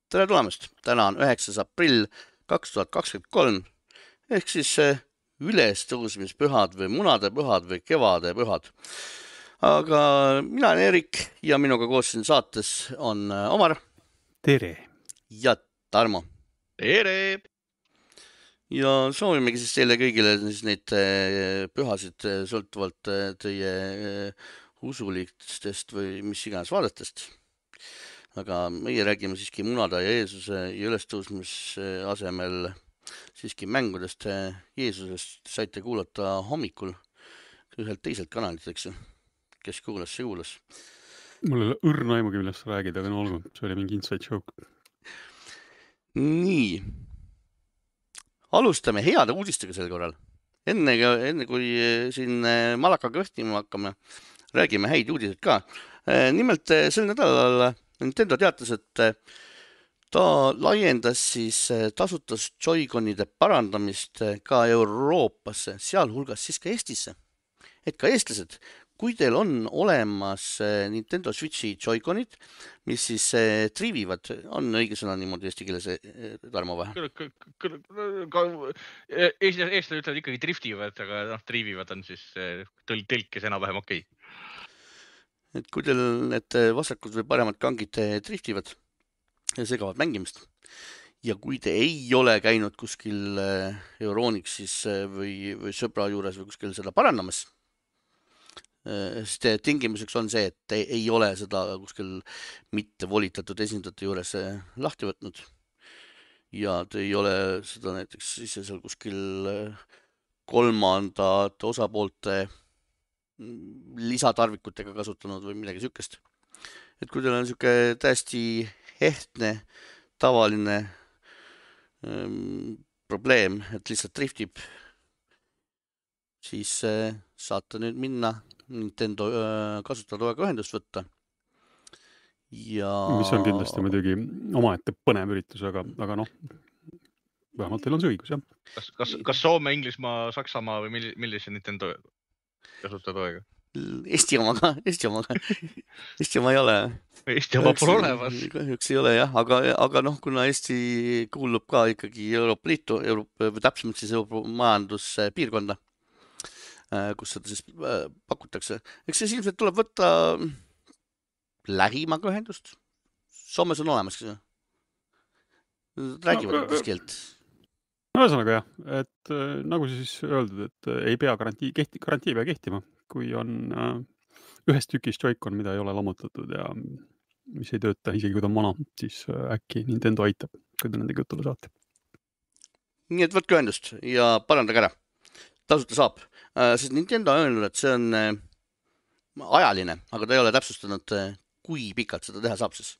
Tere tulemast! Täna on 9. aprill 2023 ehk siis ülestõusmispühad või munadepühad või kevadepühad. Aga mina olen Erik ja minuga koos siin saates on Omar Tere! ja Tarmo. Tere! Ja soovimegi siis teile kõigile siis neid pühasid sõltuvalt teie usulistest või mis iganes vaadetest. Aga meie räägime siiski munada ja Jeesuse ja ülestõusmise asemel siiski mängudest Jeesusest. Saite kuulata hommikul ühelt teiselt kanalilt, eks ju. Kes kuulas, see kuulas. Mul ei ole õrna aimugi, millest sa räägid, aga no olgu, see oli mingi inside joke. Nii. Alustame heade uudistega sel korral. Enne kui siin malakaga õhtima hakkame, räägime häid uudised ka. Nimelt sel nädalal Nintendo teatas, et ta laiendas siis tasutas Joy-Conide parandamist ka Euroopasse, sealhulgas siis ka Eestisse. Et ka eestlased, kui teil on olemas Nintendo Switchi Joy-Conid, mis siis triivivad, on õige sõna niimoodi eesti keeles, Tarmo või? Eestlased ütlevad ikkagi driftivad, aga triivivad on siis tõlkes enam-vähem okei. Et kui teil need vasakud või paremad kangid driftivad ja segavad mängimist ja kui te ei ole käinud kuskil Euronixis või sõbra juures või kuskil seda parandamas, siis tingimuseks on see, et te ei ole seda kuskil mitte volitatud esindajate juures lahti võtnud ja te ei ole seda näiteks siis seal kuskil kolmandate osapoolte lisatarvikutega kasutanud või midagi sükest. Et kui teil on süke täiesti ehtne, tavaline probleem, et lihtsalt driftib, siis saate nüüd minna Nintendo kasutajatoega ühendust võtta. Ja... Mis on kindlasti muidugi omaette põnev üritus, aga noh, vähemalt teil on see õigus, jah. Kas Soome, Inglismaa, Saksamaa või millise Nintendo kasutajatoega? Eesti omaga. Eesti oma ei ole. Eesti oma pole olemas. Kahjuks ei ole jah, aga noh, kuna Eesti kuulub ka ikkagi Euroopa Liitu, või täpsemalt siis Euroopa majanduspiirkonda, kus seda siis pakutakse. Eks see ilmselt tuleb võtta lähimaga ühendust. Soomes on olemas, kas räägivad mis keelt? Ühesõnaga jah, et nagu siis öeldud, et ei pea garantii pea kehtima, kui on ühest tükist Joy-Con, mida ei ole lammutatud ja mis ei tööta, isegi kui ta on vana, siis äkki Nintendo aitab, kui te nendega jutule saate. Nii et võtke ühendust ja parandage ära. Tasuta saab. Sest Nintendo on öelnud, et see on ajaline, aga ta ei ole täpsustanud, kui pikalt seda teha saab siis.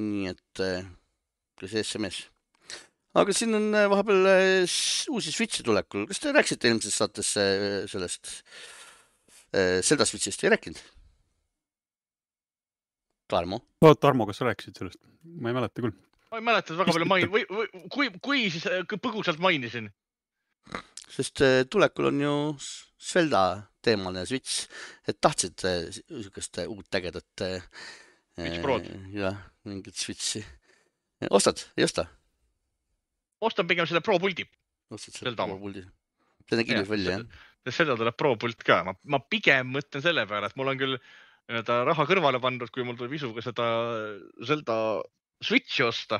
Nii et kas SMS. Aga siin on vahepeal uusi Switchi tulekul. Kas te rääksite eelmises saates sellest Zelda Switchist? Ei rääkinud? Tarmo? Tarmo, kas sa rääkisid sellest? Ma ei mäleta küll. Ma ei mäleta, et väga palju kui siis põgusalt mainisin. Sest tulekul on ju Zelda teemaline Switch, et tahtsid niisugust uut ägedat Switch Prod. Jah, mingit Switchi. Ostad? Ei osta? Ostan pigem selle Pro-puldi. Ostad selle Pro-puldi. See nägi ilus välja, jah? Seda tuleb Pro-pult ka. Ma pigem mõtlen selle peale, et mul on küll raha kõrvale pandud, kui mul tuleb isuga seda Zelda Switchi osta.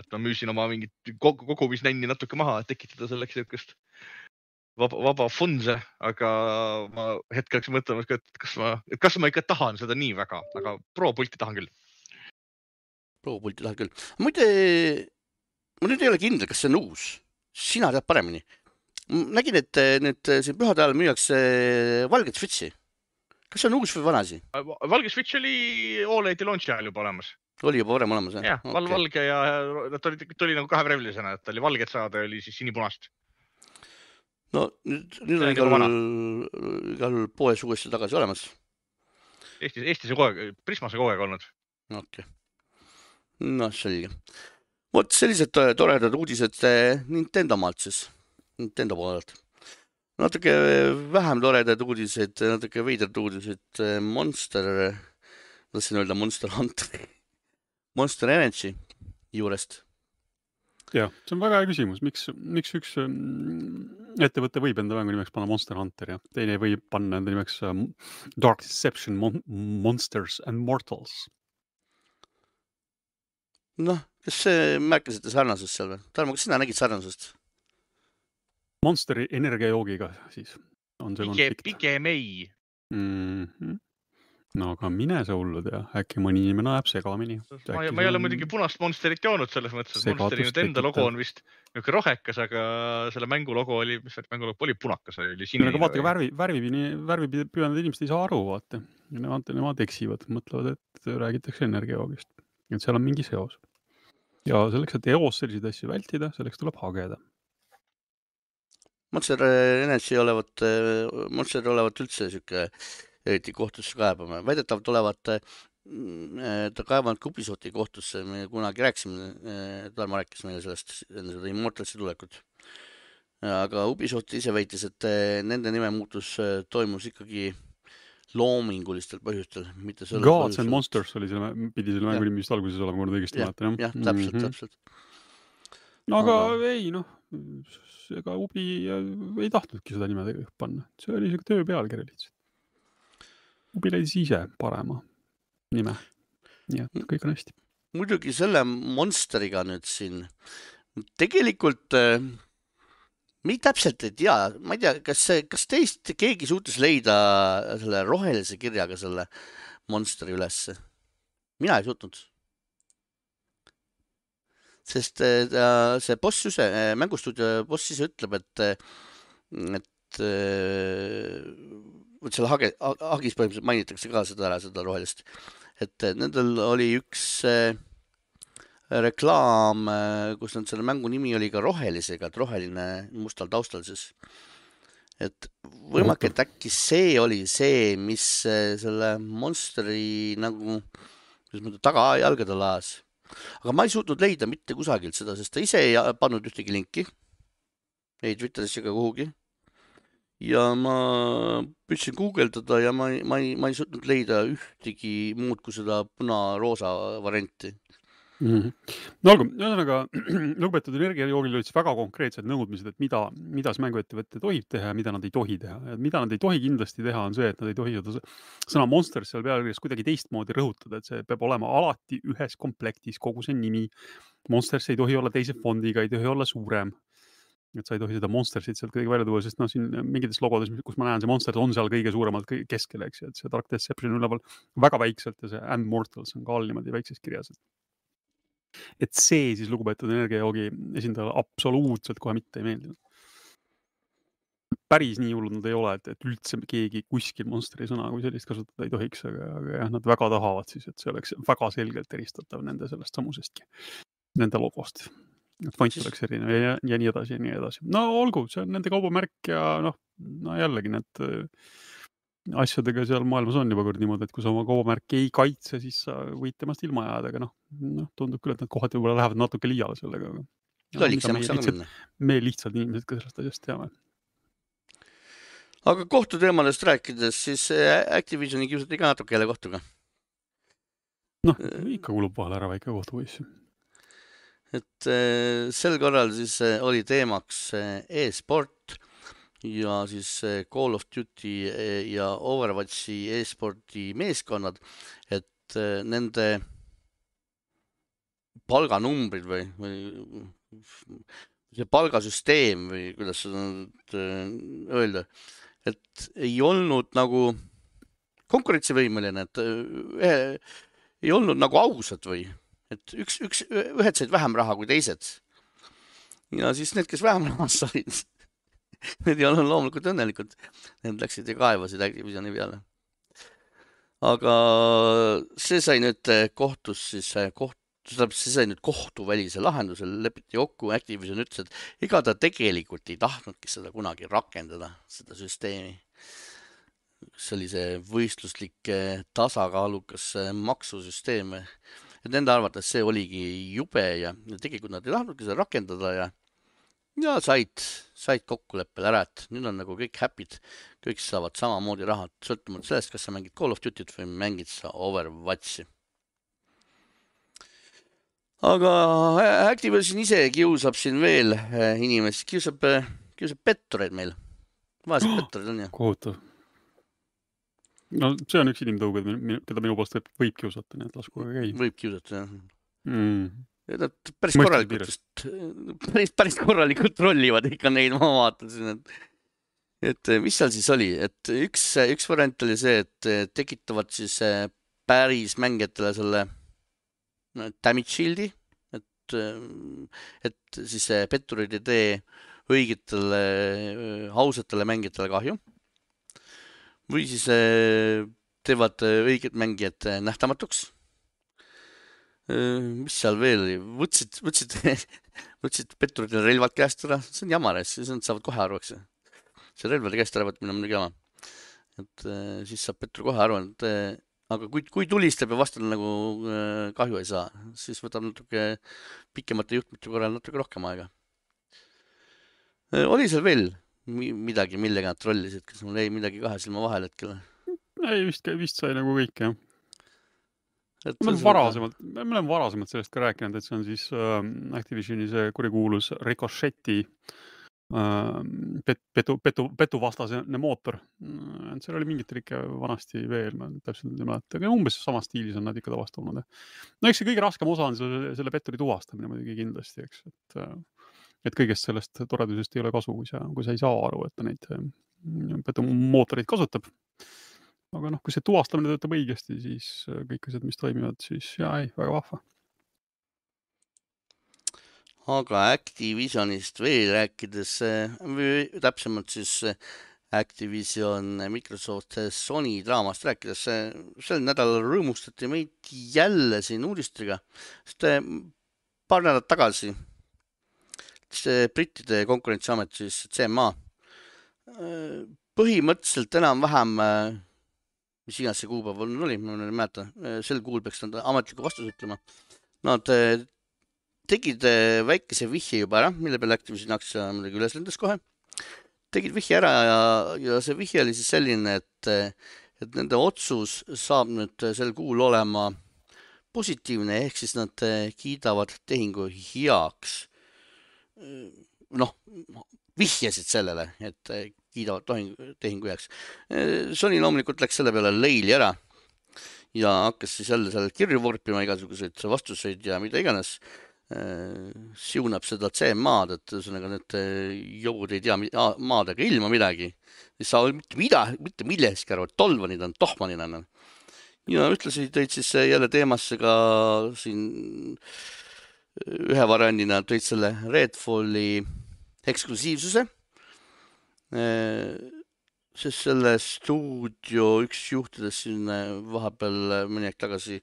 Et ma müüsin oma mingit kogumisnänni natuke maha, et tekitada selleks niisugust vaba funse, aga ma hetkeks mõtlen, et kas ma ikka tahan seda nii väga, aga Pro-pulti tahan küll. Pro-pulti tahan küll. Muide, ma nüüd ei ole kindel, kas see on uus. Sina tead paremini. Nägin, et nüüd siin pühade ajal müüakse valget Switchi. Kas see on uus või vanasi? Valge Switch oli OLED-i launchi ajal juba olemas. Oli juba varem olemas, jah? Jah, valge ja ta oli nagu kahevärvilisena, et ta oli valget saada ja oli siis sinipunast. No nüüd on igal poes uuesti tagasi olemas. Eestis on Prismase kogu aeg olnud. Okei. No, selge. Vot sellised toredad uudised Nintendo maalt siis, Nintendo poolelt. Natuke vähem toredad uudised, natuke veidrad uudised Monster, tahtsin öelda Monster Hunter, Monster Energy juurest. Jah, see on väga hea küsimus. Miks üks ettevõte võib enda mängu nimeks panna Monster Hunter ja teine võib panna enda nimeks Dark Deception Monsters and Mortals? Noh, kas märkasite sarnasust seal või? Tarmo, kas sina nägid sarnasust? Monsteri energiajoogiga siis on see konflikt. Pigem ei. No aga mine see hullu tea, äkki mõni inimene näeb segamini. Ma ei ole muidugi punast Monsterit joonud selles mõttes, et Monsteri nüüd enda logo on vist niisugune rohekas, aga selle mängu logo oli, mis mängu logo oli punakas, oli sinine. Aga vaata, värvi püüanud inimesed ei saa aru, vaata. Nemad eksivad, mõtlevad, et räägitakse energiajoogist. Et seal on mingi seos. Ja selleks, et eos selliseid asju vältida, selleks tuleb hageda. Monster Energy olevat üldse siuke eriti kohtusse kaebama. Väidetavalt olevat ta kaevanud Ubisofti kohtusse. Me kunagi rääkisime, Tarmo rääkis meile sellest enne seda Immortalsi tulekut. Aga Ubisoft ise väitis, et nende nime muutus toimus ikkagi loomingulistel põhjustel. Gods and Monsters pidi selle mängu nimi vist alguses olema, kui õigesti mäletan. Jah, täpselt. No aga ei, ega Ubi ei tahtnudki seda nime panna. See oli isegi töö pealkiri lihtsalt. Ubi leidis ise parema nime. Nii et kõik on hästi. Muidugi selle Monsteriga nüüd siin tegelikult me täpselt ei tea. Ma ei tea, kas teist keegi suutis leida selle rohelise kirjaga selle Monsteri ülesse? Mina ei suutnud. Sest see boss ise, mängustuudio boss ise ütleb, et selle hagis põhimõtteliselt mainitakse ka seda rohelist. Et nendel oli üks reklaam, kus nad selle mängu nimi oli ka rohelisega, et roheline mustal taustal siis. Et võimalik, et äkki see oli see, mis selle Monsteri nagu tagajalgade laas. Aga ma ei suutnud leida mitte kusagilt seda, sest ta ise ei pannud ühtegi linki. Ei Twitteris ega kuhugi. Ja ma püüdsin guugeldada ja ma ei suutnud leida ühtegi muud kui seda puna-roosa varianti. No olgu, ühesõnaga, lugupeetud energiajoogil olid väga konkreetsed nõudmised, et mida see mänguettevõte tohib teha ja mida nad ei tohi teha. Mida nad ei tohi kindlasti teha on see, et nad ei tohi seda sõna Monsters seal pealkirjas kuidagi teistmoodi rõhutada, et see peab olema alati ühes komplektis kogu see nimi. Monsters ei tohi olla teise fondiga, ei tohi olla suurem. Et sa ei tohi seda Monstersit sealt kõige välja tuua, sest siin mingites logodes, kus ma näen, see Monsters on seal kõige suuremalt keskel, eks, et see Dark Deception üleval väga väikselt ja see And Mortals on ka all niimoodi väikses kirjas. Et see siis lugupeetud energiajoogi esindajale absoluutselt kohe mitte ei meeldinud. Päris nii hullud nad ei ole, et üldse keegi kuskil Monsteri sõna kui sellist kasutada ei tohiks, aga jah, nad väga tahavad siis, et see oleks väga selgelt eristatav nende sellest samusestki, nende logost. Et font oleks erinev ja nii edasi ja nii edasi. No olgu, see on nende kaubamärk ja no jällegi need asjadega seal maailmas on juba kord niimoodi, et kui sa oma kaubamärki ei kaitse, siis sa võid temast ilma jääda, aga tundub küll, et nad kohati võib-olla lähevad natuke liiale sellega. Me lihtsalt inimesed ka sellest asjast teame. Aga kohtuteemadest rääkides, siis Activisioni kiusati ka natuke jälle kohtuga. Ikka kulub vahel ära väike kohtupoiss. Et sel korral siis oli teemaks e-sport ja siis Call of Duty ja Overwatchi e-sporti meeskonnad, et nende palganumbrid või see palgasüsteem või kuidas seda öelda, et ei olnud nagu konkurentsivõimeline, et ei olnud nagu ausad või et ühed said vähem raha kui teised. Ja siis need, kes vähem raha said, need ei olnud loomulikult õnnelikud. Need läksid ja kaevasid Activisioni peale. Aga see sai nüüd kohtus siis, see sai nüüd kohtuvälise lahendusel, lepiti kokku, Activision ütles, et ega ta tegelikult ei tahtnudki seda kunagi rakendada, seda süsteemi. See oli see võistluslik tasakaalukas maksusüsteem. Et nende arvates see oligi jube ja tegelikult nad ei tahtnudki seda rakendada ja said kokkuleppel ära, et nüüd on nagu kõik happy'd, kõik saavad samamoodi raha, sõltumata sellest, kas sa mängid Call of Duty't või mängid sa Overwatchi. aga Activision ise kiusab siin veel inimesi, kiusab pettureid meil. Vaesed pettureid on ju. Kohutav. No see on üks inimtõug, keda minu poolest võib kiusata, nii et lasku käi. Võib kiusata, jah. Mm. Päris korralikult rollivad ikka neid, ma vaatasin, et mis seal siis oli, et üks variant oli see, et tekitavad siis päris mängijatele selle damage shieldi, et siis petturid ei tee õigetele ausatele mängijatele kahju või siis teevad õiged mängijad nähtamatuks. Mis seal veel oli? Võtsid petturitele relvad käest ära, see on jamar, siis nad saavad kohe aru, eks. See relvade käest ära võtmine on muidugi jama. Et siis saab pettur kohe aru, aga kui tulistab ja vastal nagu kahju ei saa, siis võtab natuke pikemate juhtmete korral natuke rohkem aega. Oli seal veel midagi, millega nad trollisid, kas mul jäi midagi kahe silma vahel hetkel? Ei, vist sai nagu kõik, jah. Me oleme varasemalt sellest ka rääkinud, et see on siis Activisioni see kurikuulus Ricocheti petuvastasene mootor. Seal oli mingit trikke vanasti veel, ma täpselt ei mäleta, aga umbes sama stiilis on nad ikka tavastanud. No eks see kõige raskem osa on selle petturi tuvastamine muidugi kindlasti, eks. Et kõigest sellest toredusest ei ole kasu, kui sa ei saa aru, et ta neid petumootoreid kasutab. Aga kui see tuvastamine töötab õigesti, siis kõik asjad, mis toimivad, siis väga vahva. Aga Activisionist veel rääkides, täpsemalt siis Activision, Microsoft, Sony draamast rääkides, sel nädalal rõõmustati meid jälle siin uudistriga, sest paar nädalat tagasi see brittide konkurentsiamet, siis CMA, põhimõtteliselt enam-vähem mis iganes see kuupäev oli, ma ei mäleta, sel kuul peaks nad ametliku vastuse ütlema. Nad tegid väikese vihje juba ära, mille peale Activision aktsia muidugi üles lendas kohe. Tegid vihje ära ja see vihje oli siis selline, et nende otsus saab nüüd sel kuul olema positiivne, ehk siis nad kiidavad tehingu heaks. Vihjasid sellele, et kiidavad tehingu heaks. Sony loomulikult läks selle peale leili ära ja hakkas siis jälle seal kirju vorpima igasuguseid vastuseid ja mida iganes. Siunab seda CMA-d, et need jõud ei tea maadega ilma midagi. Ei saa mitte milleski aru, et tolvanid on, tohmanid on. Ja ütlesi tõid siis jälle teemasse ka siin ühe variandina tõid selle Redfalli eksklusiivsuse, sest selle stuudio üks juhtidest siin vahepeal mõni aeg tagasi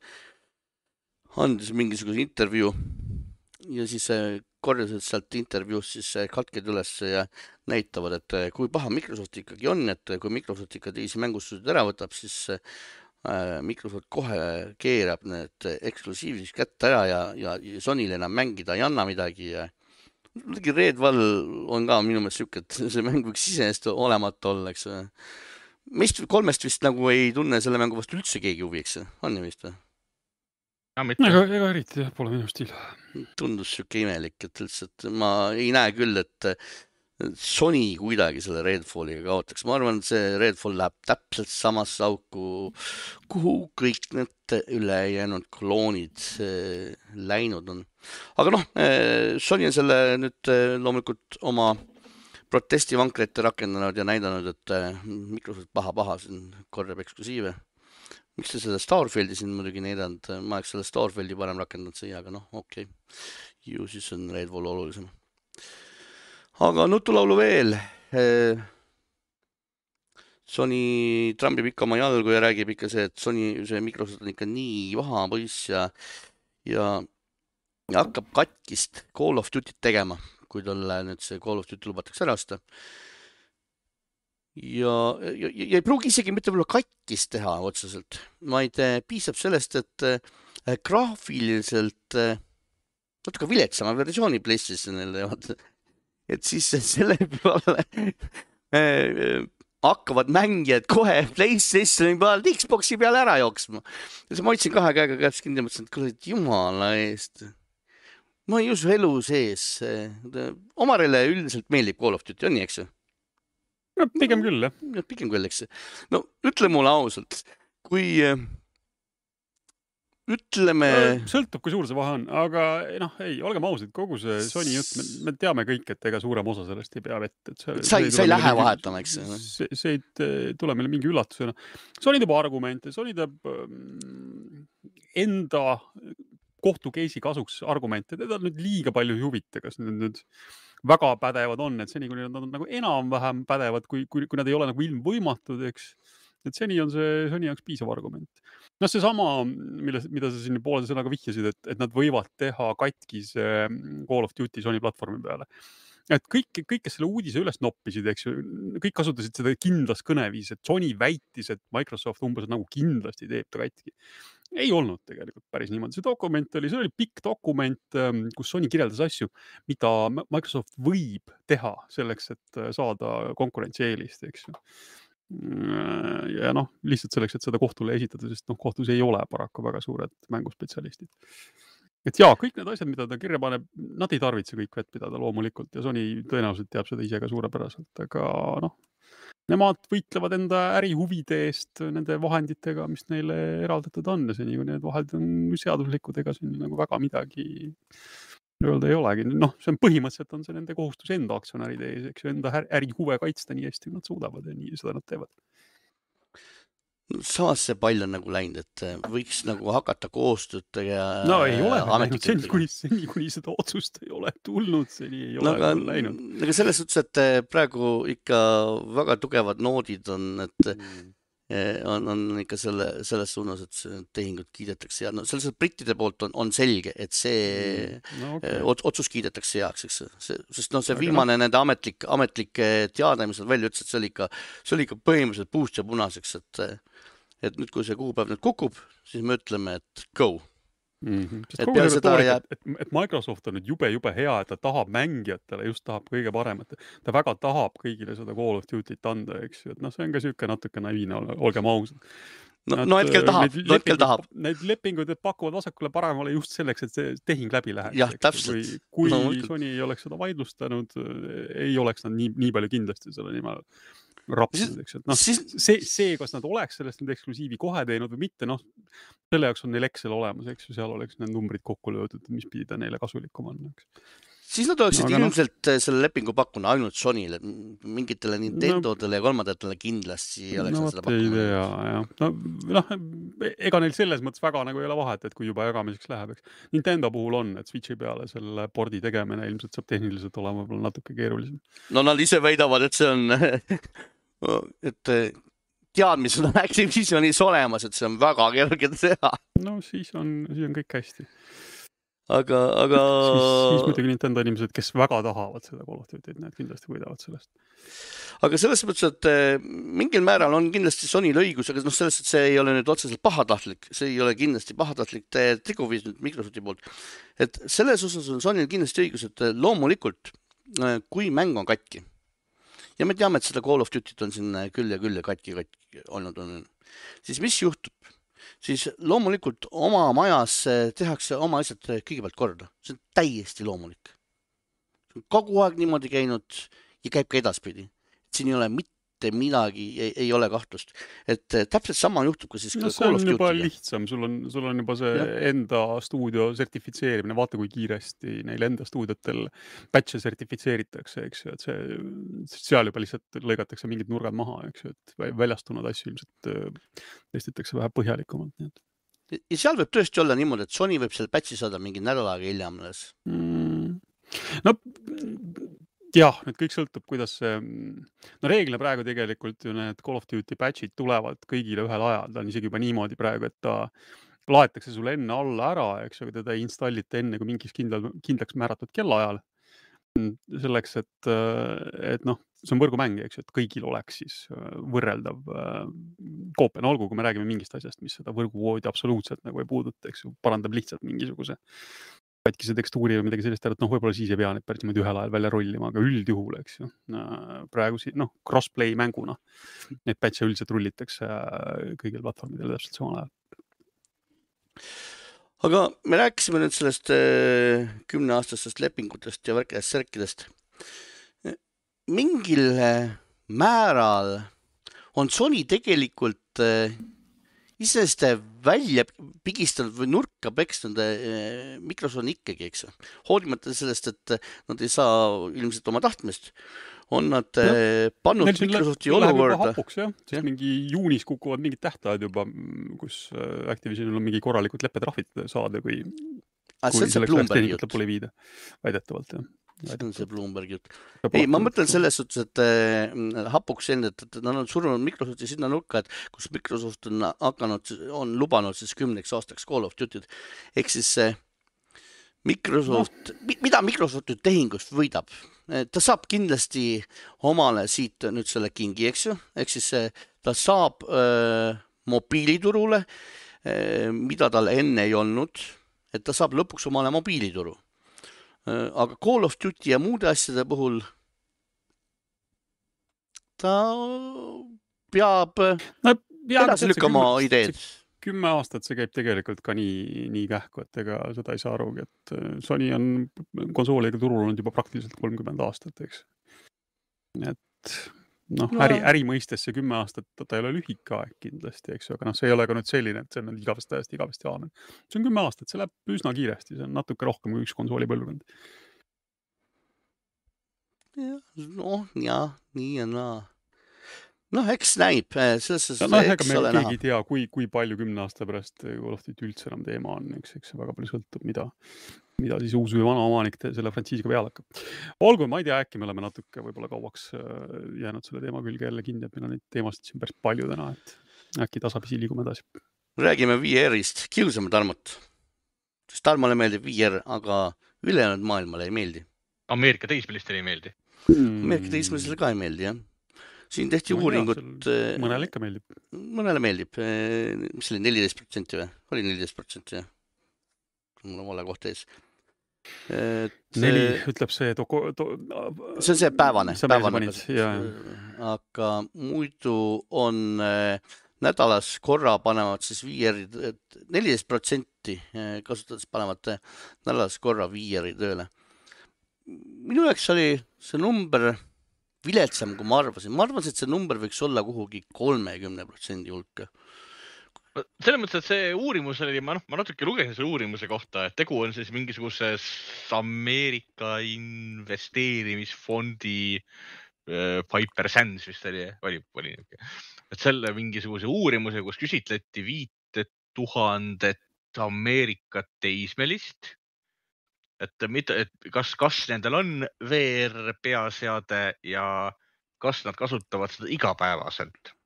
andis mingisuguse intervjuu ja siis korjasid sealt intervjuust siis katked üles ja näitavad, et kui paha Microsoft ikkagi on, et kui Microsoft ikka teisi mängustuudid ära võtab, siis Microsoft kohe keerab need eksklusiivseks kätte ära ja Sonyle enam mängida ei anna midagi ja Redfall on ka minu meelest siuke, et see mäng võiks iseenesest olemata olla, eks. Meist kolmest vist nagu ei tunne selle mängu vastu üldse keegi huvi, eks. On ju vist või? Ega eriti pole minu stiil. Tundus siuke imelik, et lihtsalt ma ei näe küll, et Sony kuidagi selle Redfalliga kaotaks. Ma arvan, et see Redfall läheb täpselt samasse auku, kuhu kõik need ülejäänud kloonid läinud on. Aga Sony on selle nüüd loomulikult oma protestivankrite rakendanud ja näidanud, et Microsoft paha siin korjab eksklusiive. Miks te seda Starfieldi siin muidugi näidanud? Ma oleks selle Starfieldi parem rakendanud siia, aga okei. Ju siis on Redfall olulisem. Aga nutulaulu veel. Sony trambib ikka oma jalgu ja räägib ikka see, et see Microsoft on ikka nii vaha poiss ja hakkab katkist Call of Duty't tegema, kui talle nüüd see Call of Duty lubatakse ära osta. Ja ei pruugi isegi mitte võib-olla katkist teha otseselt, vaid piisab sellest, et graafiliselt natuke viletsama versiooni PlayStationile et siis selle peale hakkavad mängijad kohe PlayStationi pealt Xboxi peale ära jooksma. Ja ma hoidsin kahe käega käest kinni ja mõtlesin, et kuule, jumala eest. ma ei usu elu sees. Omarile üldiselt meeldib Call of Duty, on nii, eks ju? No, pigem küll, jah. Pigem küll, eks. No ütle mulle ausalt, kui ütleme... Sõltub, kui suur see vahe on, aga ei, olgem ausad, kogu see Sony jutt, me teame kõik, et ega suurem osa sellest ei pea vett. Sa ei lähe vahetama, eks? See ei tule meile mingi üllatusena. Sony teeb argumente, Sony teeb enda kohtukeisi kasuks argumente. Teda nüüd liiga palju ei huvita, kas nüüd väga pädevad on, et seni, kui nad on nagu enam-vähem pädevad, kui nad ei ole nagu ilmvõimatud, eks. Et seni on see Sony jaoks piisav argument. No see sama, mida sa siin poolese sõnaga vihjasid, et nad võivad teha katkise Call of Duty Sony platvormi peale. Et kõik, kes selle uudise üles noppisid, eks ju, kõik kasutasid seda kindlas kõneviis, et Sony väitis, et Microsoft umbes nagu kindlasti teeb ta katki. Ei olnud tegelikult päris niimoodi. See dokument oli pikk dokument, kus Sony kirjeldas asju, mida Microsoft võib teha selleks, et saada konkurentsieelist, eks ju. Ja lihtsalt selleks, et seda kohtule esitada, sest kohtus ei ole paraku väga suured mänguspetsialistid. Et kõik need asjad, mida ta kirja paneb, nad ei tarvitse kõik vett pidada loomulikult ja Sony tõenäoliselt teab seda ise ka suurepäraselt, aga nemad võitlevad enda ärihuvide eest nende vahenditega, mis neile eraldatud on ja seni, kui need vahendid on seaduslikud, ega siin nagu väga midagi öelda ei olegi. See on põhimõtteliselt on see nende kohustus enda aktsionäride ees, eks ju, enda ärihuve kaitsta nii hästi, kui nad suudavad ja nii seda nad teevad. Samas see pall on nagu läinud, et võiks nagu hakata koostööd ja ei ole läinud, seni kuni seda otsust ei ole tulnud, seni ei ole läinud. Aga selles suhtes, et praegu ikka väga tugevad noodid on, et on ikka selles suunas, et tehingud kiidetakse ja selles brittide poolt on selge, et see otsus kiidetakse heaks, eks. Sest see viimane nende ametlik teade, mis nad välja ütles, et see oli ikka põhimõtteliselt puust ja punaseks, et nüüd, kui see kuupäev nüüd kukub, siis me ütleme, et go. Et Microsoft on nüüd jube hea, et ta tahab mängijatele, just tahab kõige paremat. Ta väga tahab kõigile seda Call of Duty't anda, eks ju. Et see on ka siuke natuke naiivne, olgem ausad. Hetkel tahab. Need lepingud pakuvad vasakule paremale just selleks, et see tehing läbi läheks. Jah, täpselt. Kui Sony ei oleks seda vaidlustanud, ei oleks nad nii palju kindlasti selle nimel rapsinud, eks. See, kas nad oleks sellest nüüd eksklusiivi kohe teinud või mitte, selle jaoks on neil Excel olemas, eks ju, seal oleks need numbrid kokku löödud, mis pidi ta neile kasulikum on, eks. Siis nad oleksid ilmselt selle lepingu pakkunud ainult Sonyle, mingitele Nintendodele ja kolmandatele kindlasti oleks nad seda pakkunud. Ega neil selles mõttes väga nagu ei ole vahet, et kui juba jagamiseks läheb, eks. Nintendo puhul on, et Switchi peale selle pordi tegemine ilmselt saab tehniliselt olema võib-olla natuke keerulisem. Nad ise väidavad, et see on et teadmised on Activisionis olemas, et see on väga kerge teha. Siis on kõik hästi. Aga... Siis muidugi Nintendo inimesed, kes väga tahavad seda Call of Duty't, need kindlasti võidavad sellest. Aga selles mõttes, et mingil määral on kindlasti Sonyl õigus, aga selles, et see ei ole nüüd otseselt pahatahtlik, see ei ole kindlasti pahatahtlik teguviis nüüd Microsofti poolt. Et selles osas on Sonyl kindlasti õigus, et loomulikult, kui mäng on katki, ja me teame, et seda Call of Duty't on siin küll ja katki olnud, siis mis juhtub? Siis loomulikult oma majas tehakse oma asjad kõigepealt korda. See on täiesti loomulik. Kogu aeg niimoodi käinud ja käib ka edaspidi. Siin ei ole mitte midagi, ei ole kahtlust. Et täpselt sama juhtub ka siis Call of Duty. See on juba lihtsam. Sul on juba see enda stuudio sertifitseerimine. Vaata, kui kiiresti neil enda stuudiotel patch'e sertifitseeritakse, eks ju. Et seal juba lihtsalt lõigatakse mingid nurgad maha, eks ju. Et väljastunud asju ilmselt testitakse vähe põhjalikumalt. Ja seal võib tõesti olla niimoodi, et Sony võib selle patch'i saada mingi nädalaga hiljem. Jah, nüüd kõik sõltub, kuidas see... reeglina praegu tegelikult ju need Call of Duty patch'id tulevad kõigile ühel ajal. Ta on isegi juba niimoodi praegu, et ta laetakse sulle enne alla ära, eks ju, teda installite enne kui mingis kindlaks määratud kellaajal. Selleks, et see on võrgumäng, eks ju, et kõigil oleks siis võrreldav koopia. Olgu, kui me räägime mingist asjast, mis seda võrguvoodi absoluutselt nagu ei puuduta, eks ju, parandab lihtsalt mingisuguse katkise tekstuuri või midagi sellist, et võib-olla siis ei pea need päris niimoodi ühel ajal välja rollima, aga üldjuhul, eks ju, praegu crossplay mänguna need patch'e üldiselt rullitakse kõigil platvormidel täpselt samal ajal. aga me rääkisime nüüd sellest 10-aastastest lepingutest ja värkidest särkidest. Mingil määral on Sony tegelikult isest välja pigistanud või nurka peksnud Microsoft ikkagi, eks. Hoolimata sellest, et nad ei saa ilmselt oma tahtmist, on nad pannud Microsofti olukorda. Hapuks, jah. Siis mingi juunis kukuvad mingid tähtajad juba, kus Activisionil on mingi korralikud leppetrahvid saada, kui selleks Bloombergi jutt lõpule viida. Väidetavalt, jah. See on see Bloombergi jutt. Ei, ma mõtlen selles suhtes, et hapuks enne, et nad on surnud Microsofti sinna nurka, et kus Microsoft on lubanud siis 10 aastaks Call of Duty'd. Ehk siis Microsoft, mida Microsoft nüüd tehingust võidab? Ta saab kindlasti omale siit nüüd selle kingi, eks ju? Ehk siis ta saab mobiiliturule, mida tal enne ei olnud, et ta saab lõpuks omale mobiilituru. Aga Call of Duty ja muude asjade puhul ta peab edasi lükkama ideed. 10 aastat see käib tegelikult ka nii kähku, et ega seda ei saa arugi, et Sony on konsooliga turul olnud juba praktiliselt 30 aastat, eks. Et äri mõistes see 10 aastat, ta ei ole lühike aeg kindlasti, eks, aga see ei ole ka nüüd selline, et see on igavesti aamen. See on 10 aastat, see läheb üsna kiiresti, see on natuke rohkem kui üks konsooli põlvkond. Nii ja naa. Eks näib. Ega me keegi ei tea, kui palju 10 aasta pärast Call of Duty üldse enam teema on, eks see väga palju sõltub, mida siis uus või vana omanik selle frantsiisiga peale hakkab. Olgu, ma ei tea, äkki me oleme natuke võib-olla kauaks jäänud selle teema külge jälle kinni, et meil on neid teemasid siin päris palju täna, et äkki tasapisi liigume edasi. Räägime VR-ist, kiusame Tarmot. Sest Tarmale meeldib VR, aga ülejäänud maailmale ei meeldi. Ameerika teismelistele ei meeldi. Ameerika teismelistele ka ei meeldi, jah. Siin tehti uuringut. Mõnele ikka meeldib. Mõnele meeldib. Mis oli 14% või? Oli 14%, jah. Mul on vale koht ees. 4 ütleb see... See on see päevane. Aga muidu on nädalas korra panevad siis VR-id, 14% kasutades panevad nädalas korra VR-i tööle. Minu jaoks oli see number viletsam, kui ma arvasin. Ma arvasin, et see number võiks olla kuhugi 30% hulka. Selles mõttes, et see uurimus oli, ma natuke lugesin selle uurimuse kohta, et tegu on siis mingisuguses Ameerika investeerimisfondi Piper Sands vist oli. Et selle mingisuguse uurimuse, kus küsitleti 5000 Ameerika teismelist, et kas nendel on VR peaseade ja kas nad kasutavad seda igapäevaselt.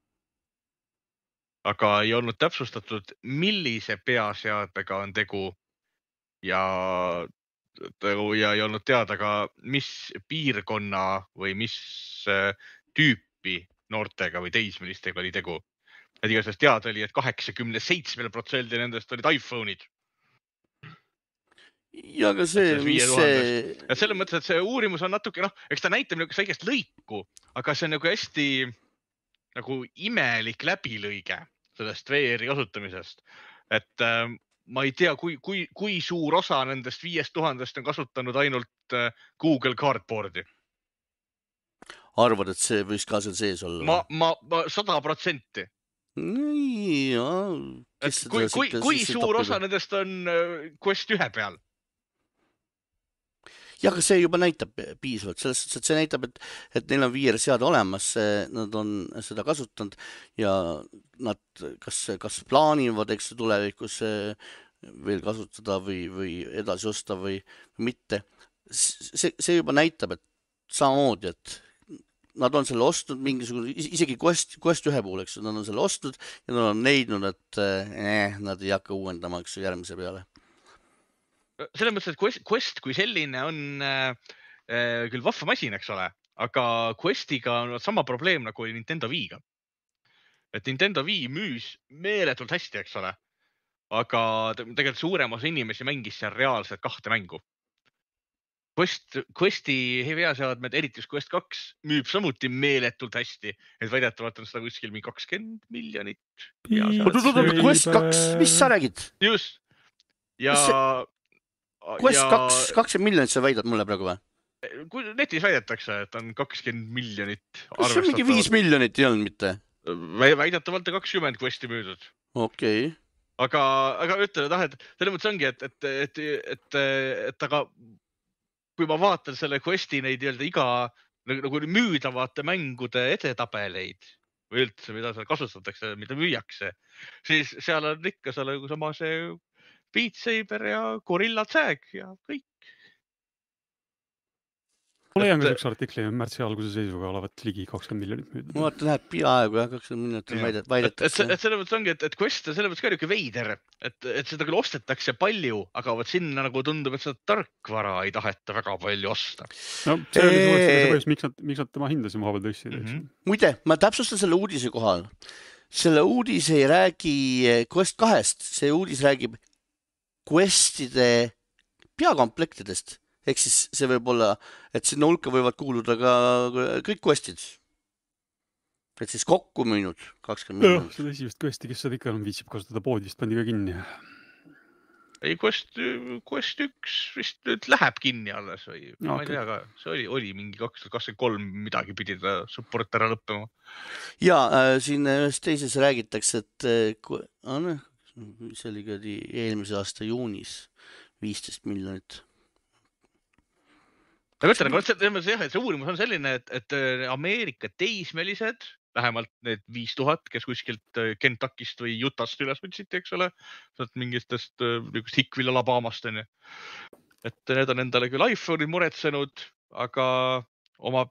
Aga ei olnud täpsustatud, millise peaseadmega on tegu ja ei olnud teada ka, mis piirkonna või mis tüüpi noortega või teismelistega oli tegu. Et igasest teada oli, et 87% nendest olid iPhone'id. Ja aga see, mis see... Ja selles mõttes, et see uurimus on natuke, eks ta näitab nagu väikest lõiku, aga see on nagu hästi nagu imelik läbilõige sellest VR-i kasutamisest. Et ma ei tea, kui suur osa nendest 5000 on kasutanud ainult Google Cardboardi. Arvad, et see võis ka seal sees olla? Ma 100%. Kui suur osa nendest on Quest 1 peal? Ja, aga see juba näitab piisavalt, selles suhtes, et see näitab, et neil on VR-seade olemas, nad on seda kasutanud ja nad kas plaanivad, eks tulevikus veel kasutada või edasi osta või mitte. See juba näitab, et samamoodi, et nad on selle ostnud mingisugune, isegi Quest 1 puhul, eks nad on selle ostnud ja nad on leidnud, et nad ei hakka uuendama järgmise peale. Selles mõttes, et Quest kui selline on küll vahva masin, eks ole, aga Questiga on sama probleem nagu oli Nintendo Wii'ga. Et Nintendo Wii müüs meeletult hästi, eks ole, aga tegelikult suurem osa inimesi mängis seal reaalselt 2 mängu. Questi peaseadmed, eriti Quest 2, müüb samuti meeletult hästi, et väidetavalt on seda kuskil 20 miljonit. Quest 2, mis sa räägid? Just. ja Quest 20 miljonit sa väidad mulle praegu või? kui netis väidetakse, et on 20 miljonit kas see mingi 5 miljonit ei olnud mitte? Väidetavalt 20 Questi müüdud. Okei. Aga ütleme, et selles mõttes ongi, et aga kui ma vaatan selle Questi neid iga nagu müüdavate mängude edetabeleid või üldse, mida seal kasutatakse, mida müüakse, siis seal on ikka sama see Beat Saber ja Gorilla Tag ja kõik. Ma leian ka üks artikli märtsi alguse seisuga olevat ligi 20 miljonit müüdud. Ma vaatan, näed peaaegu 20 miljonit väidetakse. Et selles mõttes ongi, et Quest on selles mõttes ka niuke veider, et seda küll ostetakse palju, aga vot sinna nagu tundub, et seda tarkvara ei taheta väga palju osta. No see oli see põhjus, miks nad tema hindasid maha peal tõstsid. Muide, ma täpsustan selle uudise kohal. Selle uudis ei räägi Quest 2-st, see uudis räägib Questide peakomplektidest. Ehk siis see võib olla, et sinna hulka võivad kuuluda ka kõik Questid. Et siis kokku müünud 20 miljonit. Seda esimest Questi, kes seda ikka viitsib kasutada poodist, pandi ka kinni. Ei, Quest 1 vist nüüd läheb kinni alles või ma ei tea ka. See oli mingi 2023 midagi pidi ta support ära lõppema. Ja siin ühes teises räägitakse, et see oli ka eelmise aasta juunis 15 miljonit. Aga ütlen, see uurimus on selline, et Ameerika teismelised, vähemalt need 5000, kes kuskilt Kentuckist või Utah'st üles võtsiti, eks ole, mingitest Hickville Alabamast, on ju. Et need on endale küll iPhone'id muretsenud, aga oma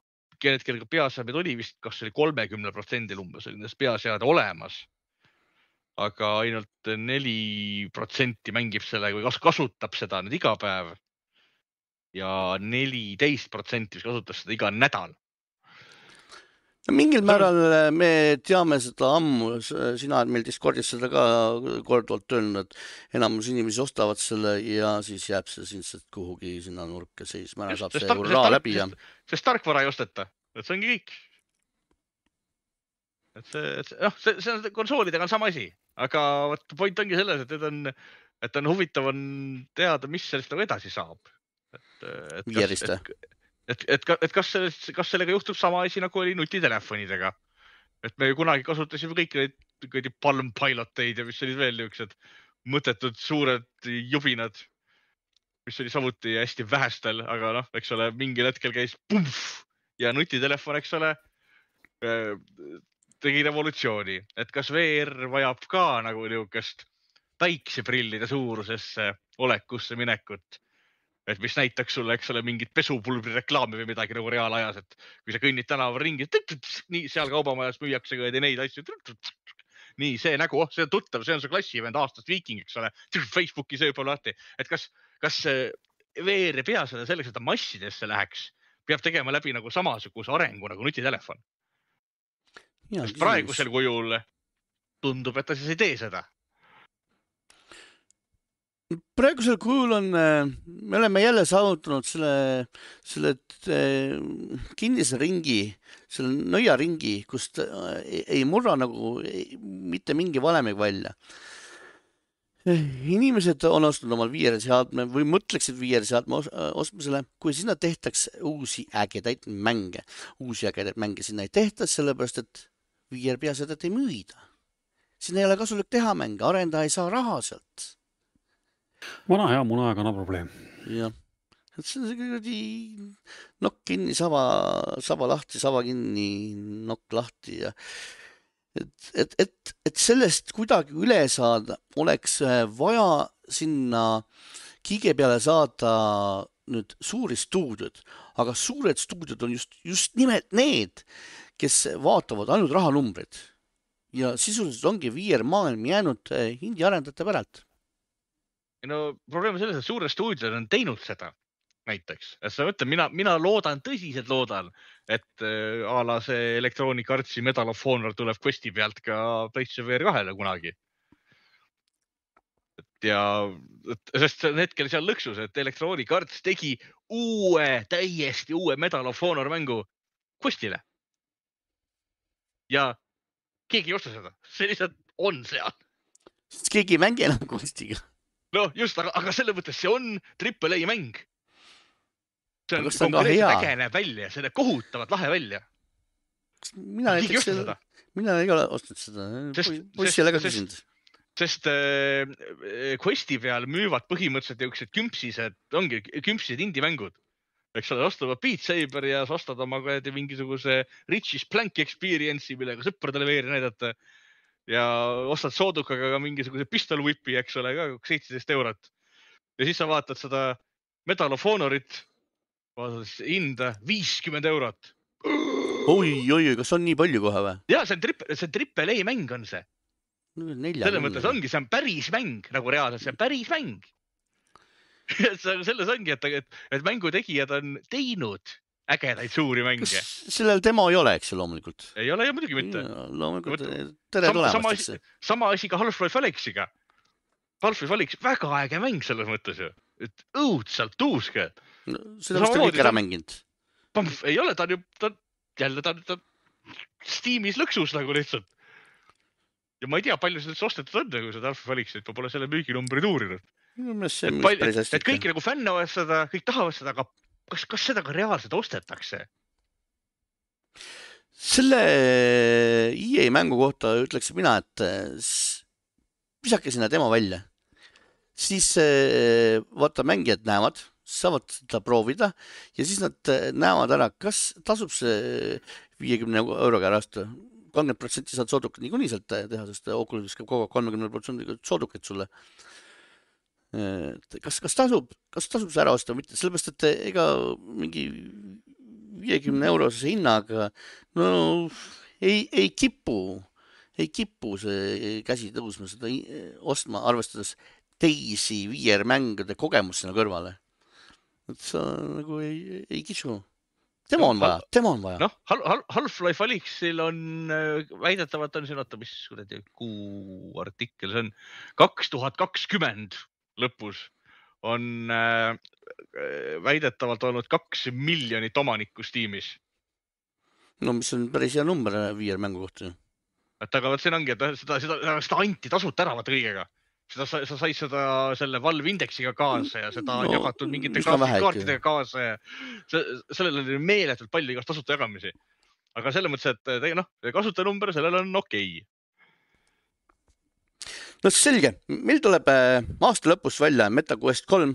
kellega peaseadmed oli vist, kas oli 30% umbes nendest peaseade olemas. Aga ainult 4% mängib selle või kasutab seda nüüd iga päev. Ja 14% kasutas seda iga nädal. Mingil määral me teame seda ammu, sina meil Discordis seda ka korduvalt öelnud, et enamus inimesi ostavad selle ja siis jääb see sinna kuhugi sinna nurka seisma, ära saab see raha läbi. Sest tarkvara ei osteta, et see ongi kõik. See on konsoolidega on sama asi, aga point ongi selles, et on huvitav on teada, mis sellest edasi saab. Et kas sellega juhtub sama asi, nagu oli nutitelefonidega. Et me kunagi kasutasime kõik neid Palm Piloteid ja mis olid veel niisugused mõttetud suured jubinad, mis oli samuti hästi vähestel, aga eks ole, mingil hetkel käis pumf ja nutitelefon, eks ole, tegi revolutsiooni. Et kas VR vajab ka nagu niisugust päikseprillide suurusesse olekusse minekut? Et mis näitaks sulle, eks ole, mingit pesupulbri reklaami või midagi nagu reaalajas, et kui sa kõnnid tänaval ringi, nii seal kaubamajas müüakse ka neid asju. Nii, see nägu, see on tuttav, see on su klassivend aastast Viking, eks ole, Facebooki sööb lahti. Et kas VR pea seda selleks, et ta massidesse läheks, peab tegema läbi nagu samasuguse arengu nagu nutitelefon? Sest praegusel kujul tundub, et ta siis ei tee seda. Praegusel kujul on, me oleme jälle saavutanud selle kinnise ringi, selle nõiaringi, kust ei murra nagu mitte mingi valemeg välja. Inimesed on ostnud omal VR-seadme või mõtleksid VR-seadme ostmisele, kui sinna tehtaks uusi ägedaid mänge. Uusi ägedaid mänge sinna ei tehta, sellepärast, et VR-peaseadet ei müüda. Sinna ei ole kasulik teha mänge, arendaja ei saa raha sealt. Vana hea munakana probleem. Jah. See on see nokk kinni, saba lahti, saba kinni, nokk lahti. Ja. Et sellest kuidagi üle saada, oleks vaja sinna Kige peale saada nüüd suuri stuudiod. Aga suured stuudiod on just nimelt need, kes vaatavad ainult rahanumbrid. Ja sisuliselt ongi VR maailm jäänud hindi arendajate päralt. No probleem on selles, et suured stuudiod on teinud seda näiteks. Mina loodan, tõsiselt loodan, et a la see Electronic Artsi Medal of Honor tuleb Questi pealt ka PlayStation VR 2-le kunagi. Sest see on hetkel seal lõksus, et Electronic Arts tegi täiesti uue Medal of Honor mängu Questile. Ja keegi ei osta seda. See lihtsalt on seal. Sest keegi ei mängi enam Questiga. No just, aga selle mõttes see on AAA mäng. See on Aga kas ta on ka konkreetselt hea? äge näeb välja, see näeb kohutavalt lahe välja. Mina Keegi näiteks osta seda? mina ei ole ostnud seda. Poissile ka küsinud. Sest Questi peal müüvad põhimõtteliselt jõuksed kümpsised, ongi kümpsised indie-mängud. Eks ole, ostavad Beat Saber ja sa ostad oma mingisuguse Richie's Plank Experience'i, millega sõpradele veeri näidata. Ja ostad soodukaga ka mingisuguse Pistol Whipi, eks ole, ka 17 eurot. Ja siis sa vaatad seda Medal of Honorit, vaatad hinda 50 eurot. Oi, kas on nii palju kohe või? Ja see on AAA mäng on see. Selle mõttes ongi, see on päris mäng, nagu reaalselt, see on päris mäng. Selles ongi, et mängutegijad on teinud ägedaid suuri mänge. Sellel demo ei ole, eks loomulikult? Ei ole ju muidugi mitte. Loomulikult, tere tulemast. Sama asi ka Half-Life Alyxiga. Half-Life Alyx, väga äge mäng selles mõttes ju. Et õudselt tuuske. Seda vist on kõik ära mänginud. Ei ole, ta on Steamis lõksus nagu lihtsalt. Ja ma ei tea, palju sellest ostetud on, kui seda Half-Life Alyxit, ma pole selle müüginumbrid uurinud. Et kõik nagu fännavad seda, kõik tahavad seda, aga kas seda ka reaalselt ostetakse? Selle EA mängu kohta ütleks mina, et visake sinna demo välja. Siis vaata mängijad näevad, saavad seda proovida ja siis nad näevad ära, kas tasub see 50 euroga ära osta. 30% saad soodukat niikuinii sealt teha, sest Oculus käib kogu 30% soodukat sulle. Kas tasub see ära osta või mitte, sellepärast, et ega mingi 50 eurose hinnaga ei kipu see käsi tõusma seda ostma, arvestades teisi VR-mängude kogemus sinna kõrvale. Et sa nagu ei kisu. Tema on vaja. Noh, Half-Life Alyxil on väidetavalt on siin, mis kuu artikkel, see on 2020 lõpus on väidetavalt olnud 2 miljonit omanikku Steamis. No mis on päris hea number VR-mängu kohta. Aga siin ongi, et seda anti tasuta ära vaata kõigega. Sa said seda selle Valve Indexiga kaasa ja seda on jagatud mingite kaartidega kaasa ja sellel oli meeletult palju igast tasuta jagamisi. Aga selle mõttes, et kasutanumber sellel on okei. No selge, meil tuleb aasta lõpus välja MetaQuest 3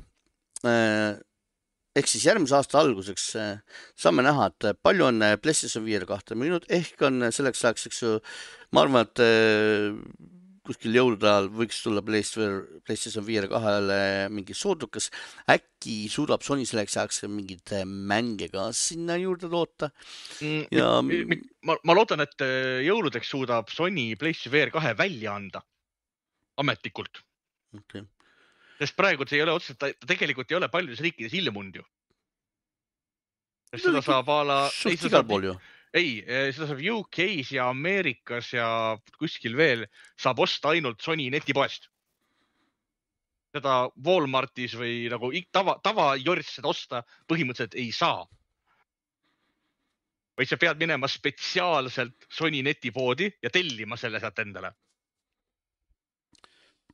ehk siis järgmise aasta alguseks saame näha, et palju on PlayStation VR 2 müünud, ehk on selleks ajaks, eks ju, ma arvan, et kuskil jõulude ajal võiks tulla PlayStation VR 2-le mingi soodukas. Äkki suudab Sony selleks ajaks mingid mänge ka sinna juurde toota. Ja... Ma loodan, et jõuludeks suudab Sony PlayStation VR 2 välja anda ametlikult. Okay. Sest praegu see ei ole otseselt, ta tegelikult ei ole paljudes riikides ilmunud ju. Seda saab igal pool ju. Ei, seda saab UK-s ja Ameerikas ja kuskil veel saab osta ainult Sony netipoest. Seda Walmartis või nagu tava jorts seda osta põhimõtteliselt ei saa. Vaid sa pead minema spetsiaalselt Sony netipoodi ja tellima selle sealt endale.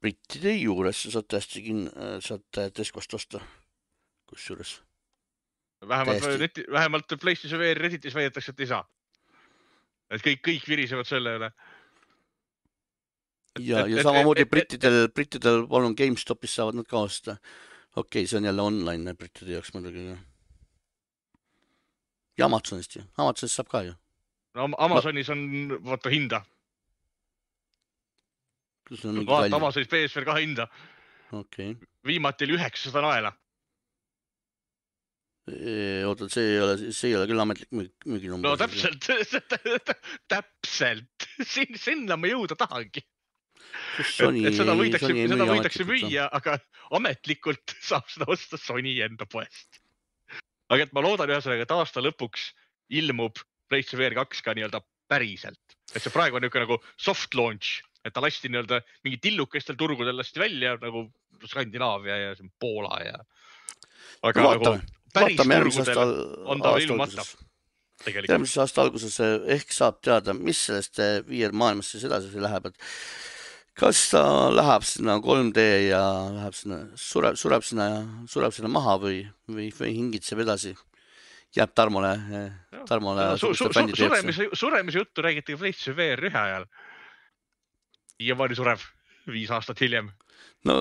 Brittide juures sa saad Tescost osta, kus juures. Vähemalt PlayStation VR Redditis väidetakse, et ei saa. Et kõik virisevad selle üle. Ja samamoodi Brittidel palun GameStopis saavad nad ka osta. Okei, see on jälle online Brittide jaoks muidugi. Ja Amazonist ju. Amazonist saab ka ju. No Amazonis on vaata hinda. Vaata Amazonis PSVR 2 hinda. Okei. Viimati oli 900 naela. Oota, see ei ole küll ametlik müüginumber. No täpselt. Sinna ma jõuda tahangi. Seda võidakse müüa, aga ametlikult saab seda osta Sony enda poest. Aga et ma loodan ühesõnaga, et aasta lõpuks ilmub PlayStation VR 2 ka nii-öelda päriselt. Et see praegu on niisugune nagu soft launch, et ta lasti nii-öelda mingi tillukestel turgudel lasti välja nagu Skandinaavia ja Poola ja... Aga vaatame järgmise aasta alguses ehk saab teada, mis sellest VR maailmas siis edasi läheb. kas ta läheb sinna 3D ja läheb sinna, sureb sinna maha või hingitseb edasi, jääb Tarmole bändi teeb. Suremise juttu räägiti PlayStation VR 1 ajal. Siiamaani surev 5 aastat hiljem. No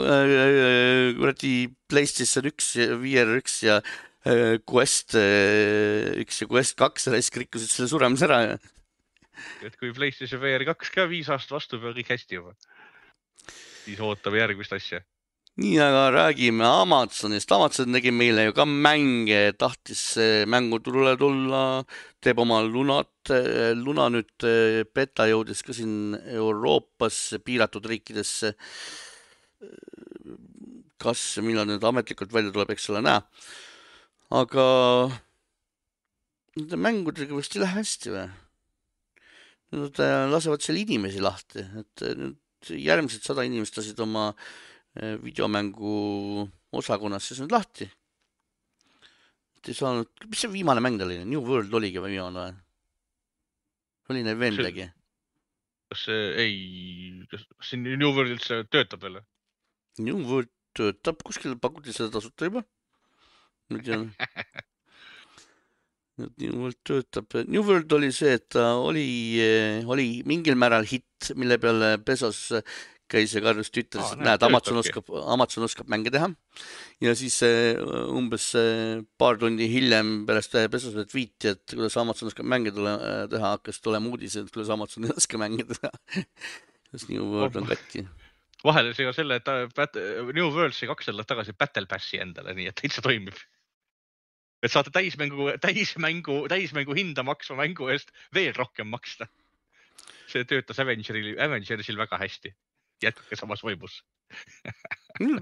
kuradi PlayStation 1, VR 1 ja Quest 1 ja Quest 2 rikkusid selle suremise ära. Et kui PlayStation VR 2 ka 5 aastat vastu peab kõik hästi juba, siis ootame järgmist asja. Nii, aga räägime Amazonist. Amazon tegi meile ju ka mänge, tahtis mänguturule tulla, teeb oma Luna nüüd beta jõudis ka siin Euroopas piiratud riikidesse. Kas millal nüüd ametlikult välja tuleb, eks ole näha. Aga nende mängudega vist ei lähe hästi või? Nad lasevad seal inimesi lahti, et nüüd järgmised 100 inimest lasid oma videomängu osakonnas siis nüüd lahti. Et ei saanud, mis see viimane mäng oli? New World oligi või viimane või? Oli neil veel midagi? Kas siin New World üldse töötab veel? New World töötab, kuskil pakuti seda tasuta juba. Nüüd tean. New World töötab. New World oli see, et ta oli mingil määral hitt, mille peale Bezos käis ja karjus Twitteris, et näed, Amazon oskab mänge teha. Ja siis umbes paar tundi hiljem pärast Bezose tweeti, et kuidas Amazon oskab mänge teha, hakkas tulema uudised, et kuidas Amazon ei oska mänge teha. Kas New World on katki? Vahele see ka selle, et New World sai 2 aastat tagasi Battle Passi endale, nii et täitsa toimib. Et saate täismängu hinda maksva mängu eest veel rohkem maksta. See töötas Avengersil väga hästi. Jätkuke samas võimus.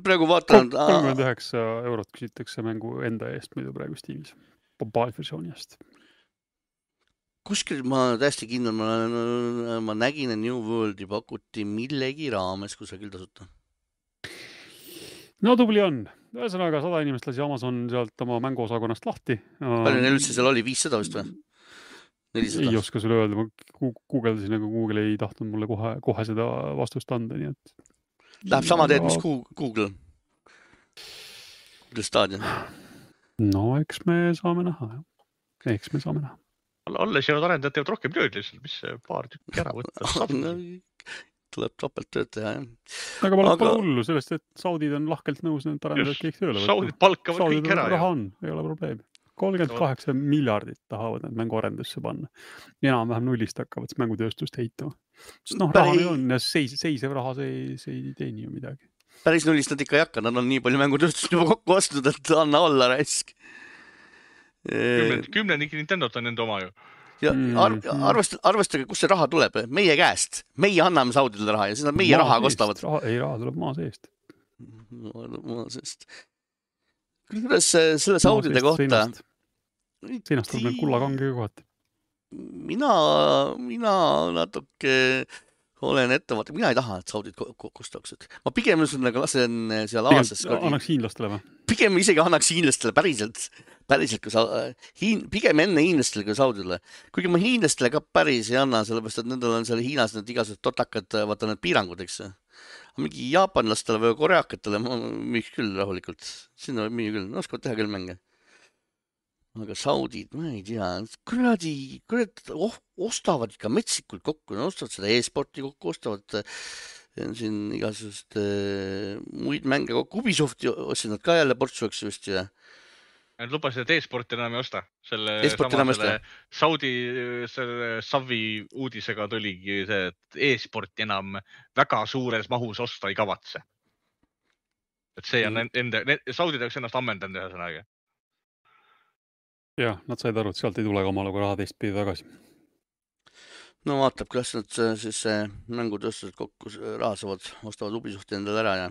Praegu vaatan... 39 eurot küsitakse mängu enda eest, mida praegu Steamis. Mobile-versiooni eest. Kuskil ma täiesti kindel, ma nägin, et New Worldi pakuti millegi raames kusagil tasuta. No tubli on. Ühesõnaga 100 inimest lasi Amazon sealt oma mänguosakonnast lahti. Palju neil üldse seal oli? 500 vist või? 400? Ei oska sulle öelda. Ma guugeldasin, aga Google ei tahtnud mulle kohe seda vastust anda. Nii et... Läheb sama teed, mis Google Stadia. No, eks me saame näha. Alles jäävad arendajad teevad rohkem tööd lihtsalt, mis paar tükki ära võtta. Tuleb topelt tööd teha, jah. Aga pole hullu sellest, et Saudid on lahkelt nõus need arendajad kõik tööle võtta. Saudid palkavad kõik ära. Raha on, ei ole probleemi. 38 miljardit tahavad need mänguarendusse panna. Enam-vähem nullist hakkavad mängutööstust heituma. Sest raha on ja seisev raha, see ei teeni ju midagi. Päris nullist nad ikka ei hakka, nad on nii palju mängutööstust juba kokku ostnud, et anna olla raisk. Kümnenik Nintendot on nende oma ju. Ja arvestage, kus see raha tuleb. Meie käest. Meie anname Saudile raha ja siis nad meie raha kostavad. Raha tuleb maa seest. Maa seest. Kuidas selle Saudide kohta? Seinast tuleb meil kullakangega kohati. Mina natuke olen ettevaatav. Mina ei taha, et Saudid kostaksid. Ma pigem lasen seal Aasias. Annaks hiinlastele või? Pigem isegi annaks hiinlastele päriselt, pigem enne hiinlastele kui Saudile. Kuigi ma hiinlastele ka päris ei anna, sellepärast, et nendel on seal Hiinas need igasugused totakad, vaata need piirangud, eks. Mingi jaapanlastele või koreakatele müüks küll rahulikult. Sinna müü küll, oskavad teha küll mänge. Aga Saudid, ma ei tea, kuradi ostavad ikka metsikult kokku, ostavad seda e-sporti kokku, ostavad siin igasugust muid mänge kokku. Ubisofti ostsid nad ka jälle portsuaks just ja. Nad lubasid, et e-sporti enam ei osta. Saudi Savi uudisega tuligi see, et e-sporti enam väga suures mahus osta ei kavatse. Et see on Saudi tahaks ennast ammendanud ühesõnaga. Jah, nad said aru, et sealt ei tule omale kui raha teistpidi tagasi. No vaatab, kuidas nad siis mängutööstused kokku rahasavad, ostavad Ubisofti endale ära ja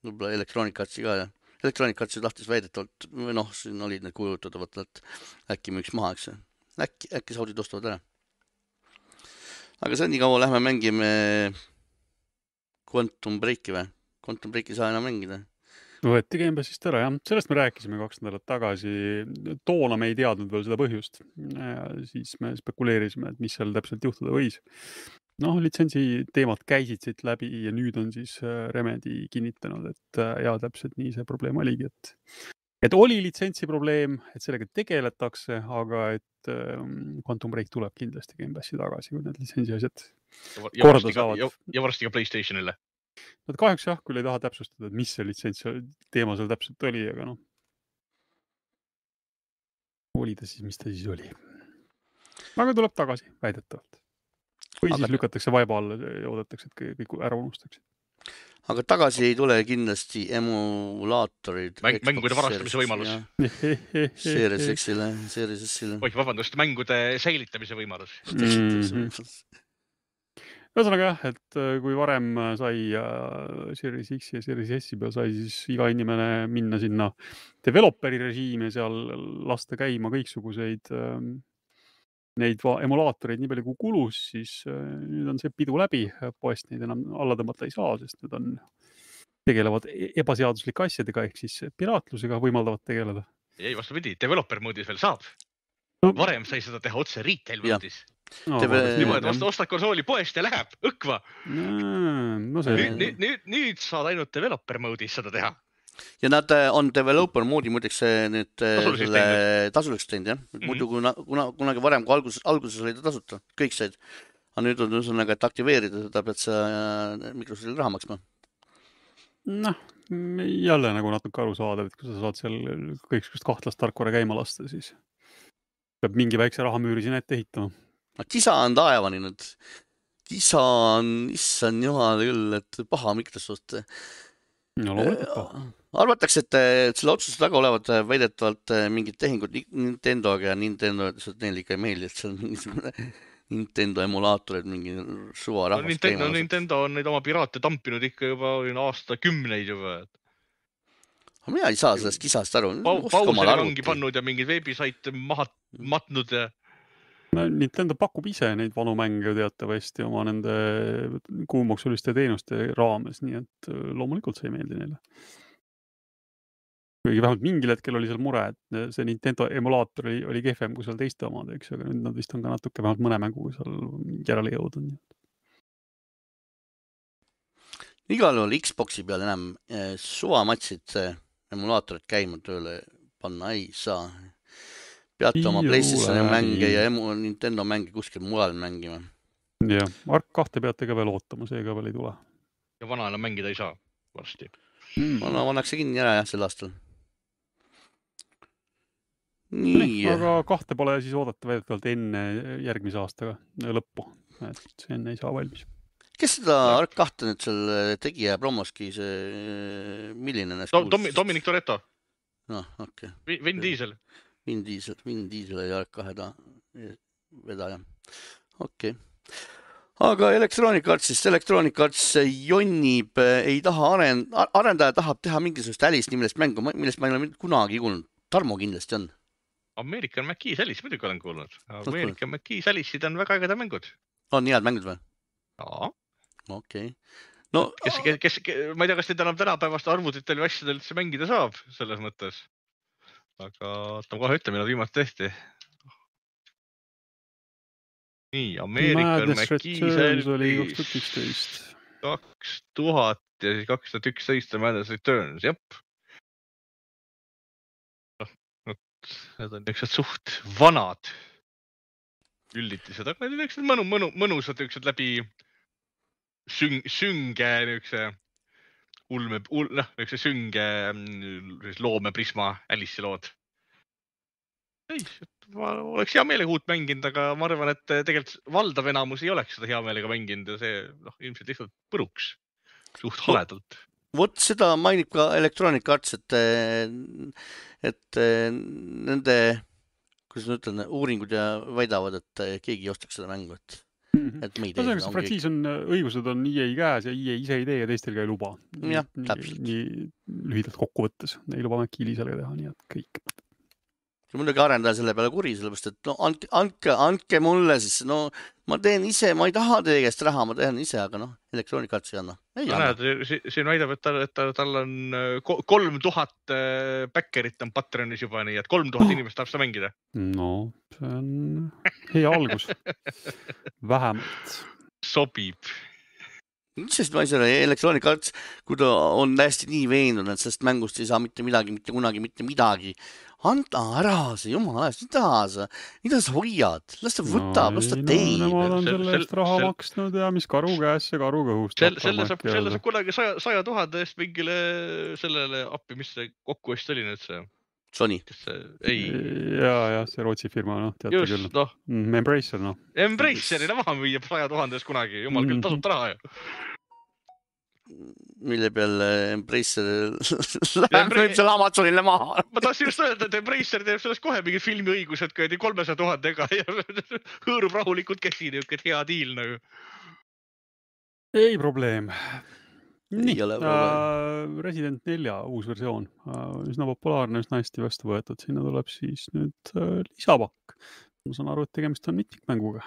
võib-olla elektroonikatsi ka ja elektroonikatsi lahtis väidetavalt, või siin olid need kujutatavat, et äkki müüks maha, eks. Äkki Saudid ostavad ära. Aga see nii kaua lähme mängime Quantum Breaki või? Quantum Breaki saa enam mängida. Võeti Game Passist ära, jah. Sellest me rääkisime 2 nädalat tagasi. Toona me ei teadnud veel seda põhjust. Ja siis me spekuleerisime, et mis seal täpselt juhtuda võis. Noh, litsentsi teemad käisid siit läbi ja nüüd on siis Remedy kinnitanud, et jaa, täpselt nii see probleem oligi, et oli litsentsi probleem, et sellega tegeletakse, aga et Quantum Break tuleb kindlasti Game Passi tagasi, kui need litsentsi asjad korda saavad. Ja varsti ka PlayStationile. Nad kahjuks jah, küll ei taha täpsustada, et mis see litsents teema seal täpselt oli, aga noh. Oli ta siis, mis ta siis oli. Aga tuleb tagasi, väidetavalt. Või siis lükatakse vaiba alla ja oodatakse, et kõik ära unustakse. Aga tagasi ei tule kindlasti emulaatorid. Mängude varastamise võimalus. Series X-ile. Oi, vabandust, mängude säilitamise võimalus. Ühesõnaga jah, et kui varem sai Series X ja Series S peal sai siis iga inimene minna sinna developeri režiimi ja seal lasta käima kõiksuguseid neid emulaatoreid nii palju kui kulus, siis nüüd on see pidu läbi, poest neid enam alla tõmmata ei saa, sest need tegelevad ebaseaduslike asjadega ehk siis piraatlusega võimaldavad tegeleda. Ei, vastupidi, developer moodis veel saab. Varem sai seda teha otse retail moodis. Niimoodi, ostad konsooli poest ja läheb, õkva. Nüüd saad ainult developer moodis seda teha. Ja nad on developer moodi muideks nüüd tasuliks teinud, jah? Muidu kunagi varem, kui alguses oli ta tasuta, kõik said. Aga nüüd on ühesõnaga, et aktiveerida seda, pead sa Microsoftile raha maksma. Noh, jälle nagu natuke aru saada, et kui sa saad seal kõikskust kahtlast tarkvara käima lasta, siis peab mingi väikse rahamüüri sinna ette ehitama. Kisa on taevani nüüd. Kisa on, issand jumal küll, et paha Microsoft. No loomulikult paha. Arvatakse, et selle otsuse taga olevad väidetavalt mingid tehingud Nintendoga ja Nintendo, et neil ikka ei meeldi, et see on mingisugune Nintendo emulaatorid, mingi suva rahvast teema. Nintendo on neid oma piraate tampinud ikka juba aastakümneid juba. Mina ei saa sellest kisast aru. Pauseri vangi pannud ja mingid veebisaite maha matnud ja... Nintendo pakub ise neid vanu mänge teatavasti oma nende kuumaksuliste teenuste raames, nii et loomulikult see ei meeldi neile. Kuigi vähemalt mingil hetkel oli seal mure, et see Nintendo emulaator oli kehvem kui seal teiste omad, eks, aga nüüd nad vist on ka natuke vähemalt mõne mängu seal järele jõudnud. Igal juhul Xboxi peal enam suvamatsid emulaatorid käima tööle panna ei saa. Peate oma PlayStationi mänge ja Nintendo mänge kuskil mujal mängima. Jah, Ark 2 peate ka veel ootama, see ka veel ei tule. Ja vana enam mängida ei saa varsti. Vannakse kinni ära jah sel aastal. Nii. Aga 2 pole siis oodata väidetavalt enne järgmise aastaga lõppu, et see enne ei saa valmis. Kes seda Ark 2 nüüd seal tegi ja promoski see milline näes kuulus? Dominic Toretto. No, okei. Vin Diesel. Vin Diesel ja Ark 2 vedaja. Okei. Aga Electronic Arts jonnib, ei taha arendaja tahab teha mingisugust Alice nimest mängu, millest ma ei ole kunagi kuulnud. Tarmo kindlasti on. American McKee's Alice muidugi olen kuulnud. American McKee's Alice'id on väga ägeda mängud. On head mängud või? Jaa. Okei. No, ma ei tea, kas neid enam tänapäevast arvutitel või asjadel üldse mängida saab selles mõttes. Aga ootame kohe ütle, millal viimati tehti. Nii, American McKee's Alice 2000 ja siis 2011 Madness Returns, jep. Need on niisugused suht vanad üllitised, aga need on mõnusad niisugused läbi sünge niisuguse sünge loomeprisma Alice'i lood. Ei, ma oleks hea meelega uut mänginud, aga ma arvan, et tegelikult valdav enamus ei oleks seda hea meelega mänginud ja see ilmselt lihtsalt põruks suht haledalt. Vot seda mainib ka Electronic Arts, et nende, kuidas ma ütlen, uuringud ja väidavad, et keegi ei ostaks seda mängu, et me ei tee. See frantsiis on, õigused on EA käes ja EA ise ei tee ja teistel ka ei luba. Jah, täpselt. Nii lühidalt kokku võttes. Ei luba Mäkkiili sellega teha, nii et kõik. Ja muidugi arendaja selle peale kuri, sellepärast, et no andke mulle siis, no ma teen ise, ma ei taha teie käest raha, ma teen ise, aga noh, Electronic Arts ei anna. Siin väidab, et tal on 3000 backerit on Patreonis juba, nii et 3000 inimest tahab seda mängida. No, see on hea algus. Vähemalt. sobib. Sest ma ei saa, Electronic Arts, kui ta on hästi nii veendunud, et sellest mängust ei saa mitte midagi, mitte kunagi, mitte midagi. Anta ära see, jumala ajast, mida sa hoiad? Las ta võtab, las ta teeb. Nemad on selle eest raha maksnud ja mis karu käes see karu kõhust. Selle saab kunagi 100 000 eest mingile sellele appi, mis see kokkuost oli nüüd see? Sony. Ja, see Rootsi firma, teate küll. Embracer, Embracerile maha müüa 100 000 eest kunagi, jumal küll tasub raha ju. Mille peal Embracer läheb selle Amazonile maha. Ma tahtsin just öelda, et Embracer teeb sellest kohe mingi filmiõigused 300 000 ega ja hõõrub rahulikult käsi, niisugune hea diil nagu. Ei probleem. Nii, Resident 4 uus versioon. Üsna populaarne, üsna hästi vastu võetud. Sinna tuleb siis nüüd lisapakk. Ma saan aru, et tegemist on mitmikmänguga.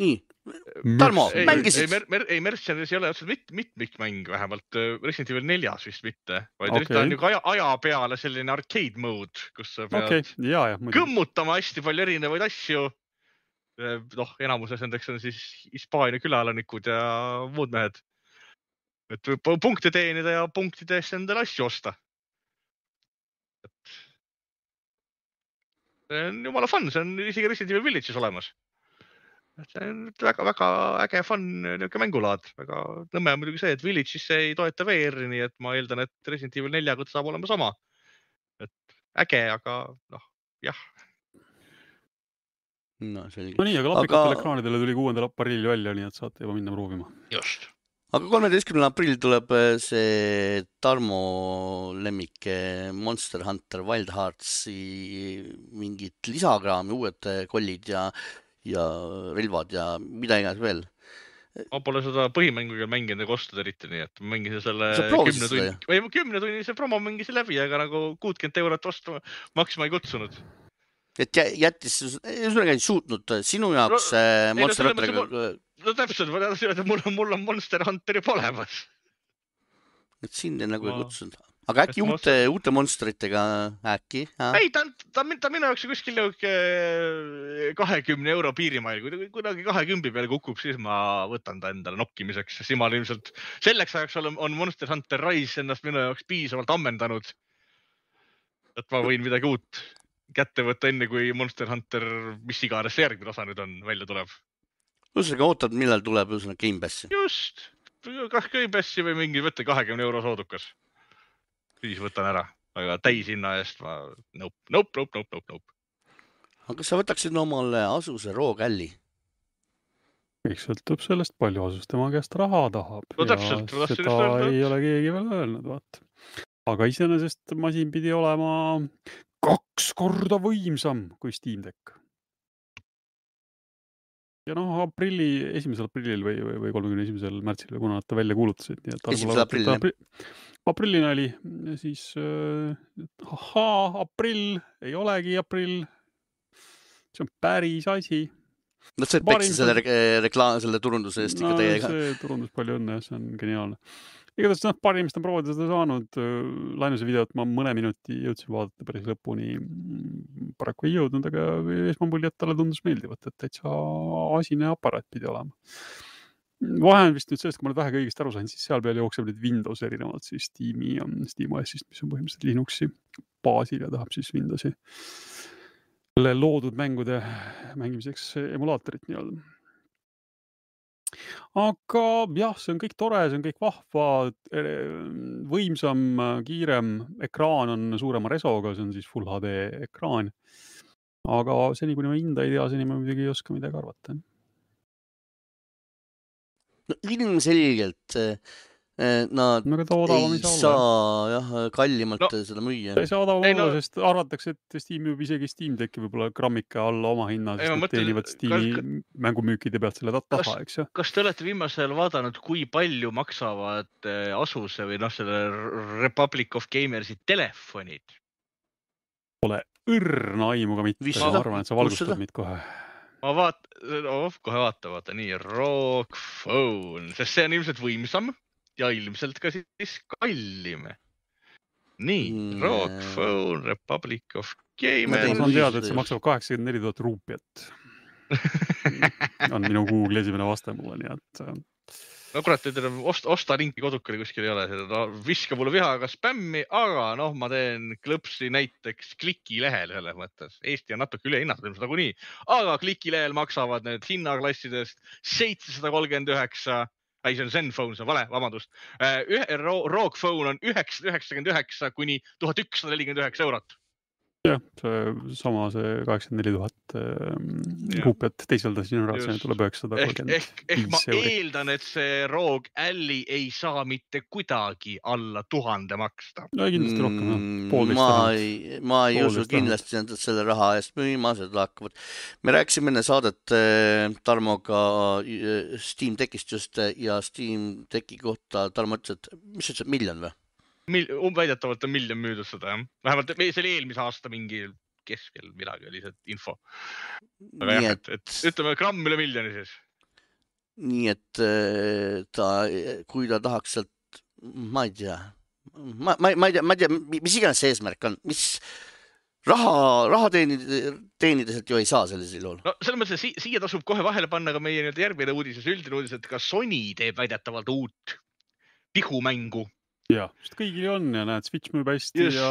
Nii, Tarmo, mängisid? Ei, Mercedes ei ole otseselt mitmikmäng vähemalt, Resident Evil 4 vist mitte, vaid ta on aja peale selline arcade mode, kus sa pead kõmmutama hästi palju erinevaid asju. Enamuses nendeks on siis Hispaania külalanikud ja muud mehed. Et punkte teenida ja punktidest endale asju osta. See on jumala fun, see on isegi Resident Evil Village'is olemas. See on väga äge fun mängulaad. Väga nõmme on muidugi see, et Village'is ei toeta VR-i, nii et ma eeldan, et Resident Evil 4 saab olema sama. Et äge, aga jah. No selge. No nii, aga lapikatele ekraanidele tuli 6. aprillil välja, nii et saate juba minna proovima. Just. Aga 13. aprillil tuleb see Tarmo lemmik Monster Hunter Wild Heartsi mingid lisakraami, uued kollid ja relvad ja mida iganes veel. Ma pole seda põhimänguga mänginud ega ostnud eriti, nii et ma mängisin selle 10 tunnise promo mängisin läbi, aga nagu 60 eurot vastu maksma ei kutsunud. Et jättis, ei suutnud sinu jaoks Monster Hunteriga... No täpselt, mul on Monster Hunter juba olemas. Et sind nagu ei kutsunud. Aga äkki uute monsteritega äkki? Ei, ta minu jaoks kuskil 20 euro piirimail. Kui kunagi 20 peale kukub, siis ma võtan ta endale nokkimiseks. Siis ma ilmselt selleks ajaks on Monster Hunter Rise ennast minu jaoks piisavalt ammendanud. Et ma võin midagi uut kätte võtta enne, kui Monster Hunter, mis iganes järgmine osa nüüd on, välja tuleb. Ühesõnaga ootad, millal tuleb Game Passi? Just, kas Game Passi või mingi võtta 20 euro soodukas. Siis võtan ära, aga täishinna eest ma nope. Aga kas sa võtaksid omale Asuse roogälli? Kõik sõltub sellest, palju Asus tema käest raha tahab. No täpselt. Ja seda ei ole keegi veel öelnud, vaat. Aga iseenesest masin pidi olema 2 korda võimsam kui Steam Deck. Ja 1. aprillil või 31. märtsil, kuna nad ta välja kuulutasid. 1. aprillil. Aprillina oli, siis aprill, ei olegi aprill. See on päris asi. No see peksid selle turunduse eest ikka teiega. See turundus palju õnne, see on geniaalne. Igatahes parimist on proovida seda saanud. Lainuse videot ma mõne minuti jõudsin vaadata päris lõpuni. Paraku ei jõudnud, aga esmamuljet talle tundus meeldivat, et täitsa asine aparaat pidi olema. Vahe on vist nüüd sellest, kui ma nüüd vähe kõigest aru sain, siis seal peal jookseb nüüd Windows erinevalt siis Steam'i ja SteamOS-ist, mis on põhimõtteliselt Linuxi baasil ja tahab siis Windowsi loodud mängude mängimiseks emulaatorit nii-öelda. Aga jah, see on kõik tore, see on kõik vahva, võimsam, kiirem ekraan on suurema resoga, see on siis Full HD ekraan. Aga seni, kuni ma hinda ei tea, seni ma midagi ei oska midagi arvata. No ilmselgelt nad ei saa kallimalt seda müüa. Ei saa odavam olla, sest arvatakse, et Steam juba isegi Steam Decki võib-olla grammika alla oma hinna, sest teenivad Steam'i mängumüükide pealt selle taha, eks ju. Kas te olete viimasel vaadanud, kui palju maksavad Asuse või selle Republic of Gamersi telefonid? Pole õrna aimuga mitte, ma arvan, et sa valgustad meid kohe. Ma kohe vaata, nii, ROG Phone, sest see on ilmselt võimsam ja ilmselt ka siis kallim. Nii, ROG Phone, Republic of Gamers. Ma saan teada, et see maksab 84 000 ruupiat. on minu Google esimene vaste mulle, nii et no kurat, osta linki kodukale kuskil ei ole, viska mulle vihaga spämmi, aga noh, ma teen klõpsi näiteks klikilehel selles mõttes. Eesti on natuke ülehinnatud ilmselt nagunii, aga klikilehel maksavad need hinnaklassidest 739, ei, see on Zenfone, see on vale, vabandust. Rogue Phone on 999 kuni 1149 eurot. jah, sama see 84 000 ruupiat teiselda generatsioni tuleb 935 ehk ma euri. eeldan, et see Rogue Ally ei saa mitte kuidagi alla 1000 maksta. No kindlasti rohkem, ma ei usu kindlasti nad selle raha eest müüma, seda hakkavad. Me rääkisime enne saadet Tarmoga Steam Techist just ja Steam Techi kohta Tarmo ütles, et mis sa ütlesid, miljon või? Väidetavalt on miljon müüdud seda, jah. Vähemalt see oli eelmise aasta mingi keskel midagi oli see info. Aga jah, et ütleme gramm üle miljoni siis. Nii et kui ta tahaks sealt, ma ei tea, mis iganes see eesmärk on, mis raha teenida sealt ju ei saa sellisel juhul. No selles mõttes, siia tasub kohe vahele panna ka meie järgmine uudis, üldine uudis, et ka Sony teeb väidetavalt uut pihumängu. Ja, sest kõigil on ja näed, Switch müüb hästi ja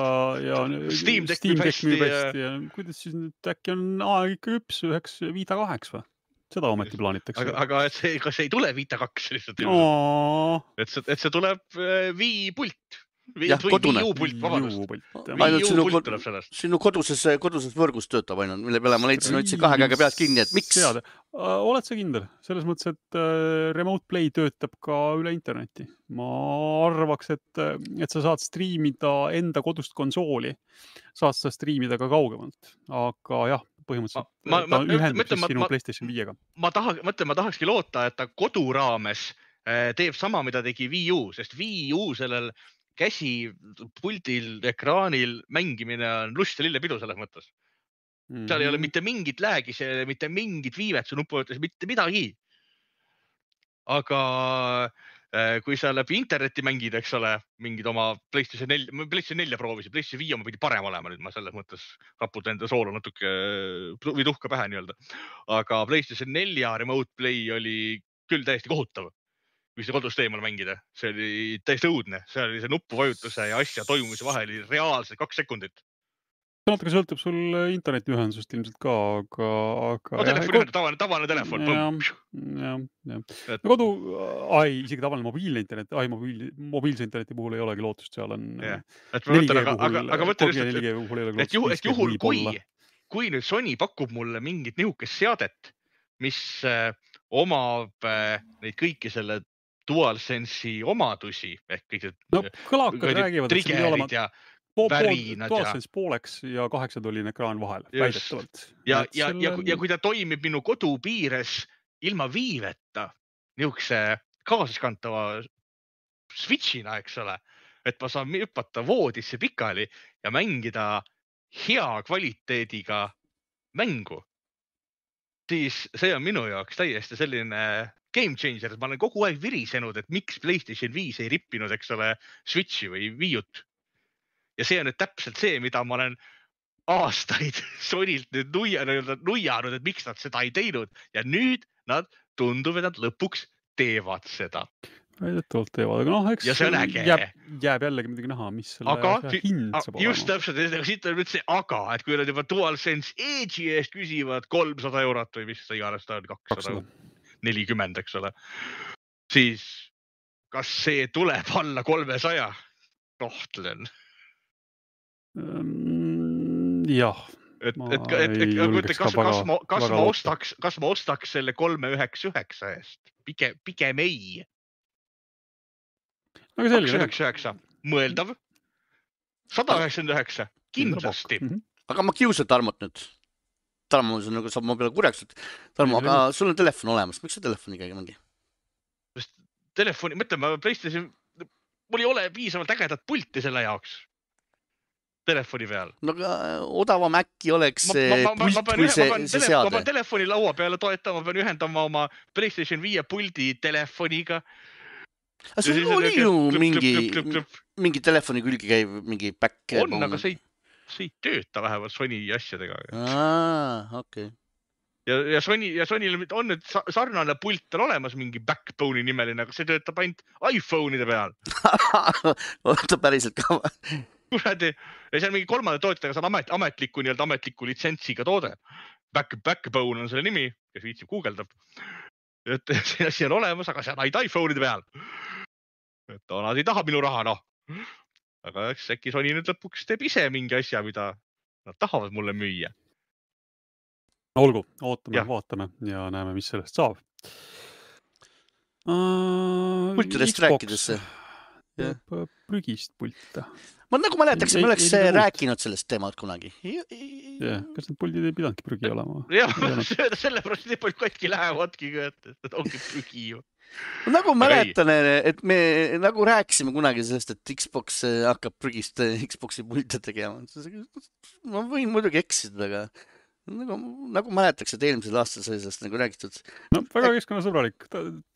Steam Deck müüb hästi ja kuidas siis nüüd äkki on aeg ikka küps üheks Vita 2 või? Seda ometi plaanitakse. Aga kas ei tule Vita 2 lihtsalt? Et see tuleb Wii pult. Kodune. Wii-U-pult tuleb sellest. Sinu koduses võrgus töötab ainult, mille peale ma leidsin kahe käega pealt kinni, et miks? Oled sa kindel? Selles mõttes, et Remote Play töötab ka üle interneti. Ma arvaks, et sa saad striimida enda kodust konsooli. Saad sa striimida ka kaugemalt. Aga jah, põhimõtteliselt ta ühendab sinu PlayStation 5-ga. Ma tahakski loota, et ta kodu raames teeb sama, mida tegi Wii U, sest Wii U sellel käsi puldil, ekraanil mängimine on lust ja lillepidu selles mõttes. Seal ei ole mitte mingit läägi, mitte mingit viivet, su nupuvõttes mitte midagi. Aga kui sa läbi interneti mängid, eks ole, mingid oma PlayStation 4 proovisid, PlayStation 5 oma pidi parem olema, nüüd ma selles mõttes raputan enda soolu natuke või tuhka pähe nii-öelda. Aga PlayStation 4 Remote Play oli küll täiesti kohutav. Kui see kodust eemal mängida, see oli täiesti õudne, see oli see nuppuvajutuse ja asja toimumise vahel oli reaalselt 2 sekundit. See natuke sõltub sul internetiühendusest ilmselt ka, aga... No telefon, tavaline telefon. Isegi tavaline mobiilne internet, mobiilse interneti puhul ei olegi lootust, seal on 4G puhul, et juhul kui nüüd Sony pakub mulle mingit nihukest seadet, mis omab neid kõiki selle DualSense'i omadusi ehk kõik kõlakad räägivad, et see pidi olema DualSense pooleks ja 8-tolline ekraan vahel, väidetavalt. Ja kui ta toimib minu kodu piires ilma viiveta, nihukese kaasaskantava switchina, eks ole, et ma saan hüpata voodisse pikali ja mängida hea kvaliteediga mängu, siis see on minu jaoks täiesti selline game changer. Ma olen kogu aeg virisenud, et miks PlayStation 5 ei rippinud, eks ole, Switchi või Wii-ut. Ja see on nüüd täpselt see, mida ma olen aastaid Sonylt nüüd nuijanud, et miks nad seda ei teinud. Ja nüüd nad tundub, et nad lõpuks teevad seda. Väidetavalt teevad, aga noh, eks jääb jällegi midagi näha, mis selle hind saab olema. Just täpselt, siit on nüüd see aga, et kui nad juba DualSense Edge'i eest küsivad 300 eurot või mis see iganes ta on, 240, eks ole, siis kas see tuleb alla 300? Tohtlen. Jah. Kas ma ostaks selle 399 eest? Pigem ei. 299, mõeldav. 199, kindlasti. Aga ma kiusan Tarmot nüüd. Tarmo saab ma peale kurjaks. Tarmo, aga sul on telefon olemas. Miks sa telefoniga ei mängi? Telefoni, mõtleme, PlayStation, mul ei ole piisavalt ägedat pulti selle jaoks. Telefoni peal. No aga odavam äkki oleks pult kui see seade. Ma pean telefoni laua peale toetama, ma pean ühendama oma PlayStation 5 puldi telefoniga. Aga sul oli ju mingi telefoni külge käiv mingi back. On, aga see ei tööta vähemalt Sony asjadega. Okei. ja Sonyl on nüüd sarnane pult on olemas, mingi Backbone'i nimeline, aga see töötab ainult iPhone'ide peal. Oota päriselt ka. Kuradi, ja see on mingi kolmanda tootjaga, see on ametliku litsentsiga toode. Backbone on selle nimi, kes viitsib guugeldab. Et see asi on olemas, aga see on ainult iPhone'ide peal. Et nad ei taha minu raha, noh. Aga äkki Sony nüüd lõpuks teeb ise mingi asja, mida nad tahavad mulle müüa. Olgu, ootame, vaatame ja näeme, mis sellest saab. Pultidest rääkides. Prügist pulta. Ma nagu mäletaks, et me oleks rääkinud sellest teemalt kunagi. Kas need puldid ei pidanudki prügi olema? Jah, sellepärast nii palju katki lähevadki, et ongi prügi ju. Nagu mäletan, et me nagu rääkisime kunagi sellest, et Xbox hakkab prügist Xboxi pulte tegema. Ma võin muidugi eksida, aga nagu mäletaks, et eelmisel aastal sai sellest nagu räägitud. No väga keskkonnasõbralik.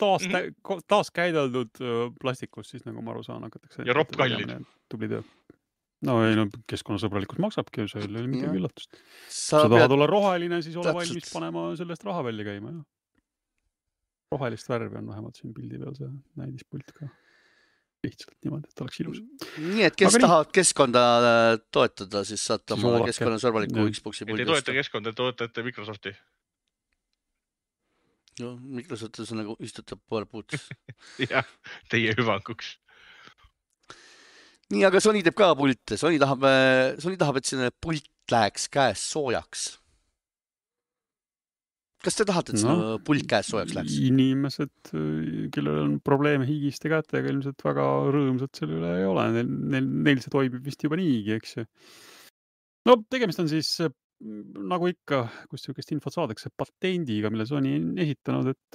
Taas käideldud plastikus, siis nagu ma aru saan, hakatakse. Ja ropp kallid. Tubli töö. No ei, keskkonnasõbralikult maksabki, see oli midagi üllatust. Sa tahad olla roheline, siis ole valmis panema sellest raha välja käima. Rohelist värvi on vähemalt siin pildi peal see näidispult ka. Lihtsalt niimoodi, et oleks ilus. Nii, et kes tahavad keskkonda toetada, siis saate oma keskkonnasõbraliku Xboxi puldi. Ei toeta keskkonda, toetate Microsofti. No, Microsoftis on nagu istutab PowerPointis. Jah, teie hüvanguks. Nii, aga Sony teeb ka pulte. Sony tahab, et sinne pult läheks käes soojaks. Kas te tahate, et sinna pult käes soojaks läheks? Inimesed, kellel on probleeme higiste kätega, ilmselt väga rõõmsad selle üle ei ole. Neil see toimib vist juba niigi, eks ju. No, tegemist on siis, nagu ikka, kus sihukest infot saadakse, patendiga, mille Sony on esitanud, et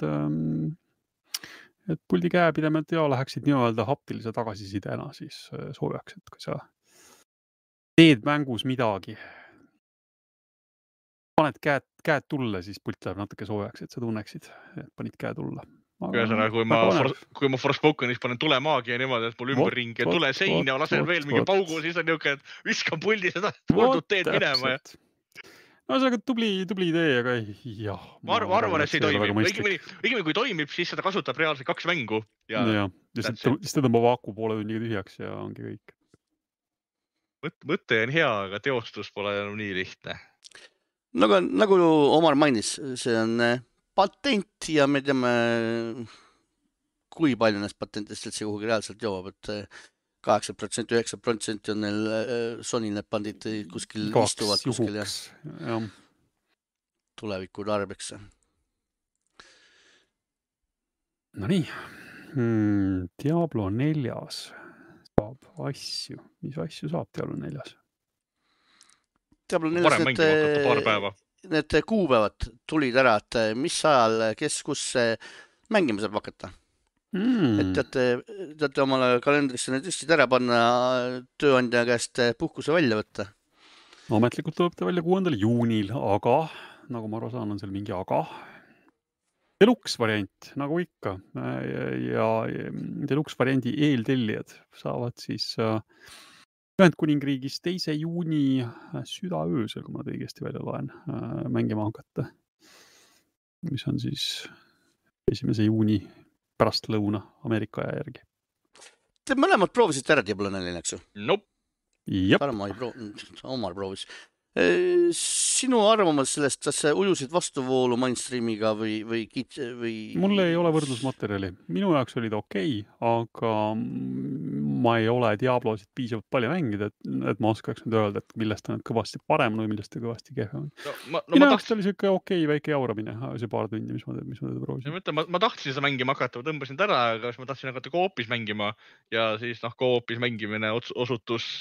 puldi käepidemed läheksid nii-öelda haptilise tagasisidena siis soojaks, et kui sa teed mängus midagi, paned käed tulle, siis pult läheb natuke soojaks, et sa tunneksid, et panid käe tulla. Ühesõnaga, kui ma Forspokenis panen tulemaagia niimoodi, et mul ümberring ja tule sein ja lasen veel mingi paugu, siis on niuke, et viskan puldi seda kordud teed minema. No see on tubli idee, aga jah. Ma arvan, et see ei toimib. Õigemini kui toimib, siis seda kasutab reaalselt 2 mängu. Ja siis ta tõmbab aku poole tunniga tühjaks ja ongi kõik. Mõte on hea, aga teostus pole enam nii lihtne. Nagu Omar mainis, see on patent ja me teame, kui palju näist patentist see kuhugi reaalselt jõuab, et 8%, 9% on neil Sony need pandid kuskil istuvad kuskil ja tuleviku tarbeks. No nii, Diablo 4 saab asju. Mis asju saab Diablo 4? Diablo 4 need kuupäevad tulid ära, et mis ajal, kes kus mängima saab hakata. Et teate omale kalendrisse need tõstid ära panna tööandja käest puhkuse välja võtta. Ametlikult tuleb ta välja 6. juunil, aga nagu ma aru saan, on seal mingi aga. Deluxe variant, nagu ikka. Ja Deluxe variandi eeltellijad saavad siis Ühendkuningriigis 2. juuni südaöösel, kui ma õigesti välja loen, mängima hakata. Mis on siis 1. juuni pärast lõuna Ameerika aja järgi. Te mõlemad proovisite ära Diablo 4, eks ju? Nope. Parma ei proovinud, Omar proovis. Sinu arvamus sellest, kas ujusid vastuvoolu mainstreamiga või? Mul ei ole võrdlusmaterjali. Minu jaoks oli ta okei, aga ma ei ole Diablosid piisavalt palju mängida, et ma oskaks nüüd öelda, et millest on kõvasti parem või millest on kõvasti kehvem. Minu jaoks oli siuke okei väike jauramine, see paar tundi, mis ma teda proovisin. Ma tahtsin seda mängima hakata, ma tõmbasin ta ära, aga ma tahtsin hakata koopis mängima ja siis koopis mängimine osutus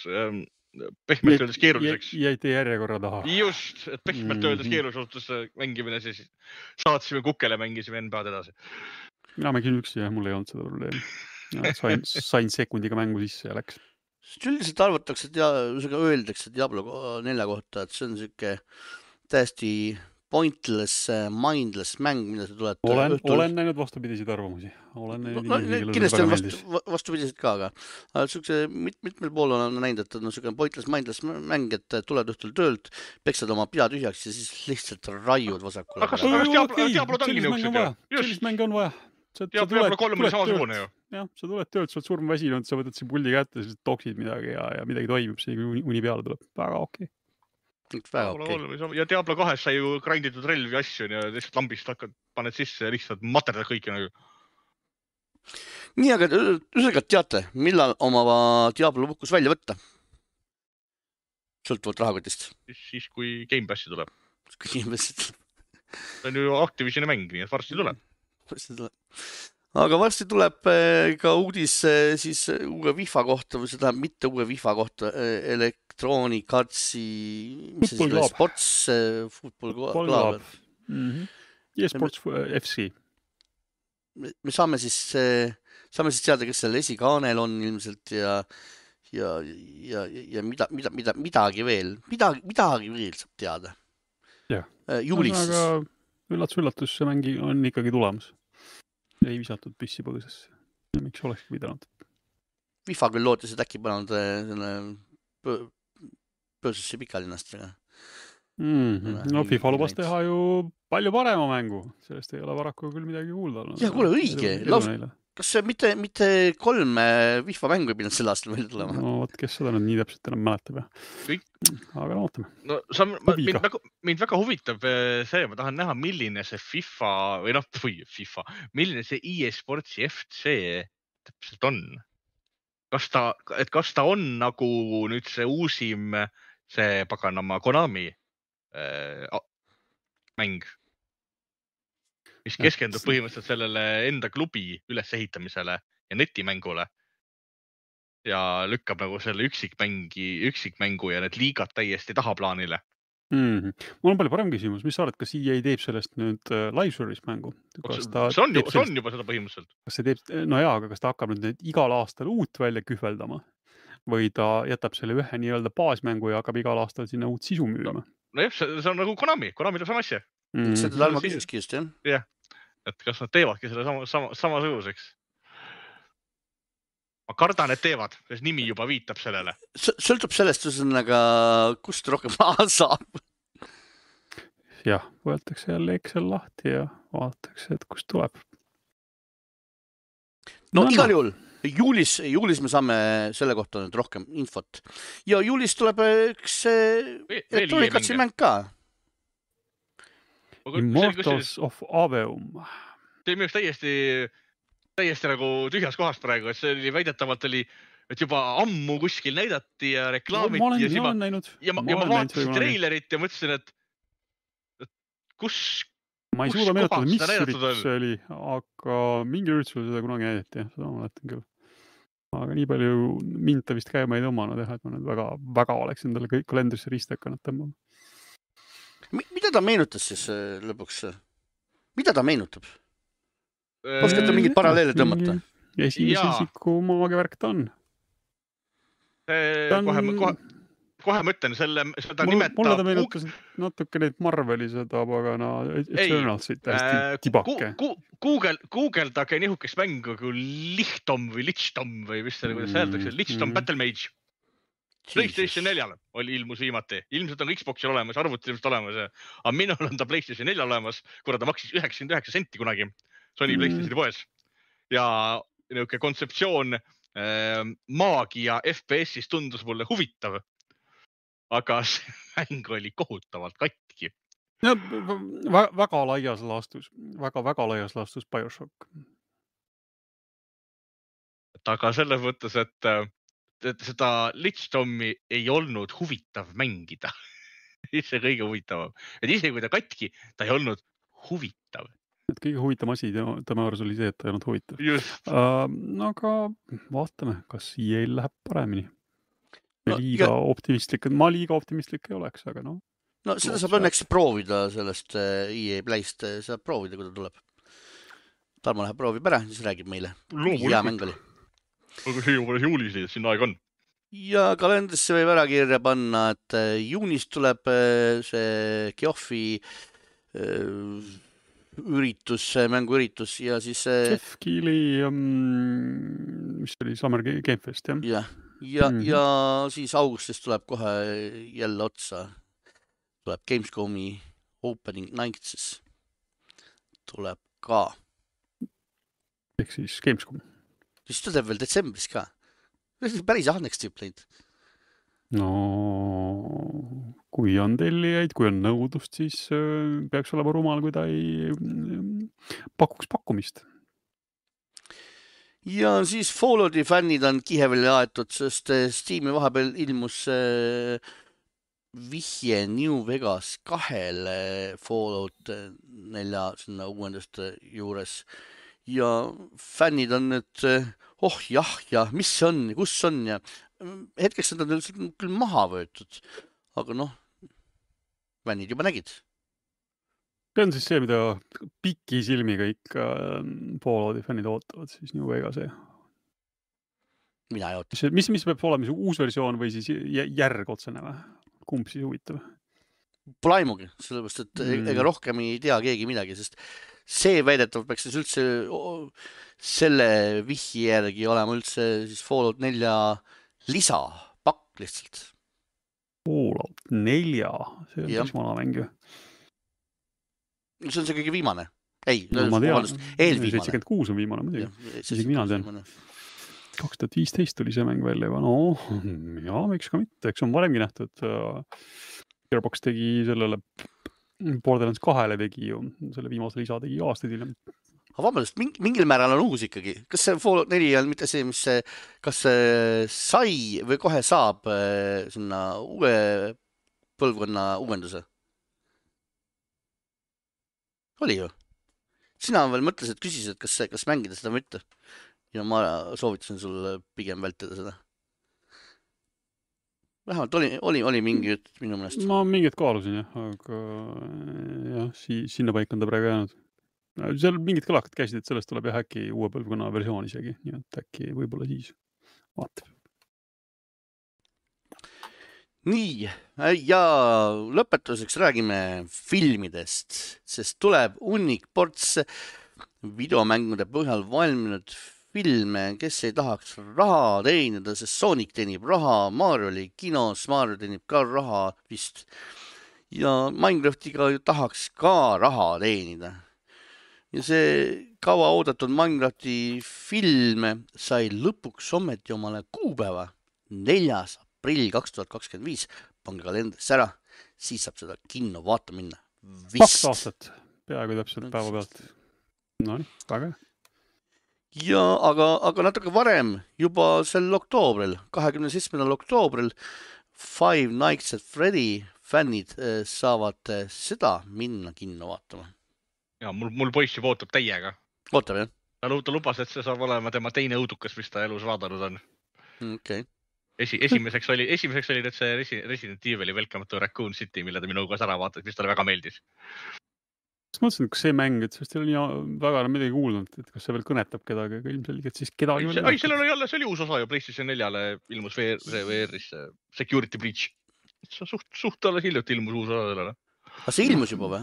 pehmelt öeldes keeruliseks. Jäite järjekorra taha. Just, et pehmelt öeldes keerulisus mängimine, siis saatsime kukele, mängisime NBA'd edasi. Mina mängin üksi ja mul ei olnud seda probleemi. Sain sekundiga mängu sisse ja läks. Üldiselt arvatakse, öeldakse Diablo 4 kohta, et see on siuke täiesti pointless, mindless mäng, mida sa tuled olen näinud vastupidiseid arvamusi. Olen näinud kindlasti on vastupidiseid ka, aga mitmel pool on näinud, et on selline pointless, mindless mäng, et tuled õhtul töölt, peksad oma pea tühjaks ja siis lihtsalt raiud vasakule. Aga Diablo tangi nõuksed ju. Sellist mänge on vaja. Diablo 3 oli samasugune ju. Jah, sa tuled töölt, sa oled surm väsinud, sa võtad siin pulli kätte, siis toksid midagi ja midagi toimub, see uni peale tuleb. Väga okei. Ja Diablo 2 sai ju grinditud relvi asju ja lihtsalt lambist paned sisse ja lihtsalt materdad kõiki nagu. Nii, aga üsega teate, millal oma Diablo puhkus välja võtta? Sõltuvalt rahakotist. Siis kui Game Passi tuleb. Kui Game Passi tuleb. See on ju Activisioni mäng, nii et varsti tuleb. Aga varsti tuleb ka uudis siis uue FIFA kohta või seda mitte uue FIFA kohta Electronic Artsi Sports Football Club. eSports FC. Me saame siis teada, kes seal esikaanel on ilmselt ja midagi veel saab teada. Juulis. Aga üllatus, see mängi on ikkagi tulemas. Ei visatud püssi põõsesse. Ja miks olekski pidanud? FIFA küll lootis, et äkki pannud põõsesse pikalinnast. No FIFA lubas teha ju palju parema mängu. Sellest ei ole varaku küll midagi kuulda. Ja, kuule, õige. Kas see mitte 3 FIFA mängu ei pidanud selle aastal välja tulema? No, võt, kes seda nüüd nii täpselt enam mäletab. Aga ootame. No, mind väga huvitab see, ma tahan näha, milline see FIFA või milline see eSportsi FC täpselt on. Kas ta on nagu nüüd see uusim, see paganama Konami mäng, mis keskendub põhimõtteliselt sellele enda klubi ülesehitamisele ja netimängule ja lükkab nagu selle üksikmängu ja need liigad täiesti tahaplaanile. Mul on palju parem küsimus. Mis sa arvad, kas EA teeb sellest nüüd live service mängu? See on juba seda põhimõtteliselt. Kas see teeb, no jaa, aga kas ta hakkab nüüd igal aastal uut välja kühveldama või ta jätab selle ühe nii-öelda baasmängu ja hakkab igal aastal sinna uut sisu müüma? No jah, see on nagu Konami teeb sama asja. Seda Talma küsiski just, jah? Jah, et kas nad teevadki selle samasuguseks? Ma kardan, et teevad, sest nimi juba viitab sellele. Sõltub sellest, kust rohkem raha saab. Jah, võetakse jälle Excel lahti ja vaadatakse, et kust tuleb. No igal juhul, juulis me saame selle kohta nüüd rohkem infot. Ja juulis tuleb üks Electronic Artsi mäng ka. Immortals of Aveum. See on täiesti nagu tühjas kohast praegu, et see oli väidetavalt et juba ammu kuskil näidati ja reklaamiti ja ma vaatasin treilerit ja mõtlesin, et kus ma ei suuda meenutada, mis üritus see oli, aga mingi üritusel seda kunagi näidati, seda ma mäletan küll. Aga nii palju mind ta vist käima ei tõmmanud, et ma nüüd väga oleks endale kõik kalendrisse ristakannad tõmbama. Mida ta meenutas siis lõpuks? Mida ta meenutab? Oskate mingid paralleele tõmmata? Esimese isiku maagivärk ta on. Kohe mõtlen, seda nimetab... Mulle ta meenutas natuke neid Marveli seda pagana Eternalsit hästi tibake. Googleldage nihukest mängu kui Lichtom või mis see, kuidas öeldakse, Lichtom Battle Mage. PlayStation 4 ilmus viimati. Ilmselt on Xboxil olemas, arvutil ilmselt olemas. Aga minul on ta PlayStation 4 olemas, kuna ta maksis 99 senti kunagi. Sony PlayStationi poes. Ja niuke kontseptsioon maagia FPS-is tundus mulle huvitav. Aga see mäng oli kohutavalt katki. No, väga laias laastus BioShock. Aga selles mõttes, et seda Lichtomi ei olnud huvitav mängida. See kõige huvitavam. Et isegi kui ta katki, ta ei olnud huvitav. Et kõige huvitavam asi tema arvas oli see, et ta ei olnud huvitav. Aga vaatame, kas EA-l läheb paremini. Ma liiga optimistlik ei oleks, aga no. No seda saab õnneks proovida sellest EA Playst, saab proovida, kui ta tuleb. Tarmo läheb proovib ära, siis räägib meile. Hea mäng oli. Aga see juba juulis, siin aeg on. Ja kalendrisse võib ära kirja panna, et juunis tuleb see Geoffi mänguüritus ja siis Jeff Keighley, mis oli Summer Game Fest, jah? ja siis augustis tuleb kohe jälle otsa. Tuleb Gamescomi opening night siis. Tuleb ka. Ehk siis Gamescom. Siis tuleb veel detsembris ka. Päris ahneks tüüp läinud. No, kui on tellijaid, kui on nõudlust, siis peaks olema rumal, kui ta ei pakuks pakkumist. Ja siis Fallouti fännid on kiheveli aetud, sest Steam'i vahepeal ilmus vihje New Vegas 2 Fallout 4 sinna uuenduste juures. Ja fännid on nüüd, ja mis see on, kus on ja hetkeks nad on küll maha võetud, aga fännid juba nägid. See on siis see, mida piki silmiga ikka Fallouti fännid ootavad siis New Vegas. Mina ei oota. Mis peab olema see uus versioon või siis järg otsene või? Kumb siis huvitav? Pole aimugi, sellepärast, et ega rohkem ei tea keegi midagi, sest see väidetavalt peaks siis üldse selle vihji järgi olema üldse siis Fallout 4 lisapakk lihtsalt. Fallout 4, see on päris vana mäng ju. See on see kõige viimane. Ei, ma tean, eelviimane. 76 on viimane muidugi. Isegi mina tean. 2015 tuli see mäng välja juba. Miks ka mitte, eks on varemgi nähtud. Gearbox tegi sellele Borderlands 2 tegi ju, selle viimase lisa tegi aastaid hiljem. Aga vabandust, mingil määral on uus ikkagi. Kas see Fallout 4 on mitte see, mis kas sai või kohe saab sinna uue põlvkonna uuenduse? Oli ju. Sina veel mõtlesid, küsisid, kas mängida seda või mitte. Ja ma soovitasin sul pigem vältida seda. Vähemalt oli mingi jutt minu mõnest. Ma mingit kaalusin jah, aga sinna paik on ta praegu jäänud. Seal mingid kõlakad käisid, et sellest tuleb äkki uue põlvkonna versioon isegi, nii et äkki võib-olla siis vaatab. Nii, ja lõpetuseks räägime filmidest, sest tuleb hunnik ports videomängude põhjal valminud filme, kes ei tahaks raha teenida, sest Sonic teenib raha, Mario oli kinos, Mario teenib ka raha vist. Ja Minecraftiga tahaks ka raha teenida. Ja see kaua oodatud Minecrafti film sai lõpuks ometi omale kuupäeva 4. aprill 2025. Pange kalendrisse ära, siis saab seda kinno vaata minna. 2 aastat, peaaegu täpselt päeva pealt. Nonii, väga hea. Ja, aga natuke varem, juba sel oktoobril, 27. oktoobril, Five Nights at Freddy fännid saavad seda minna kinno vaatama. Ja, mul poiss juba ootab täiega. Ootab, jah? Ta lubas, et see saab olema tema teine õudukas, mis ta elus vaadanud on. Okay. Esimeseks oli nüüd see Resident Evil Welcome to Raccoon City, mille ta minuga ära vaatas, mis talle väga meeldis. Kas mõtlesin, kas see mäng, et sellest ei ole väga midagi kuulnud, et kas see veel kõnetab kedagi, aga ilmselgelt siis kedagi veel ei, sellel oli jälle, see oli uus osa ju PlayStation 4-le ilmus VR-is Security Breach. Suht alles hiljuti ilmus uus osa sellele. Aga see ilmus juba või?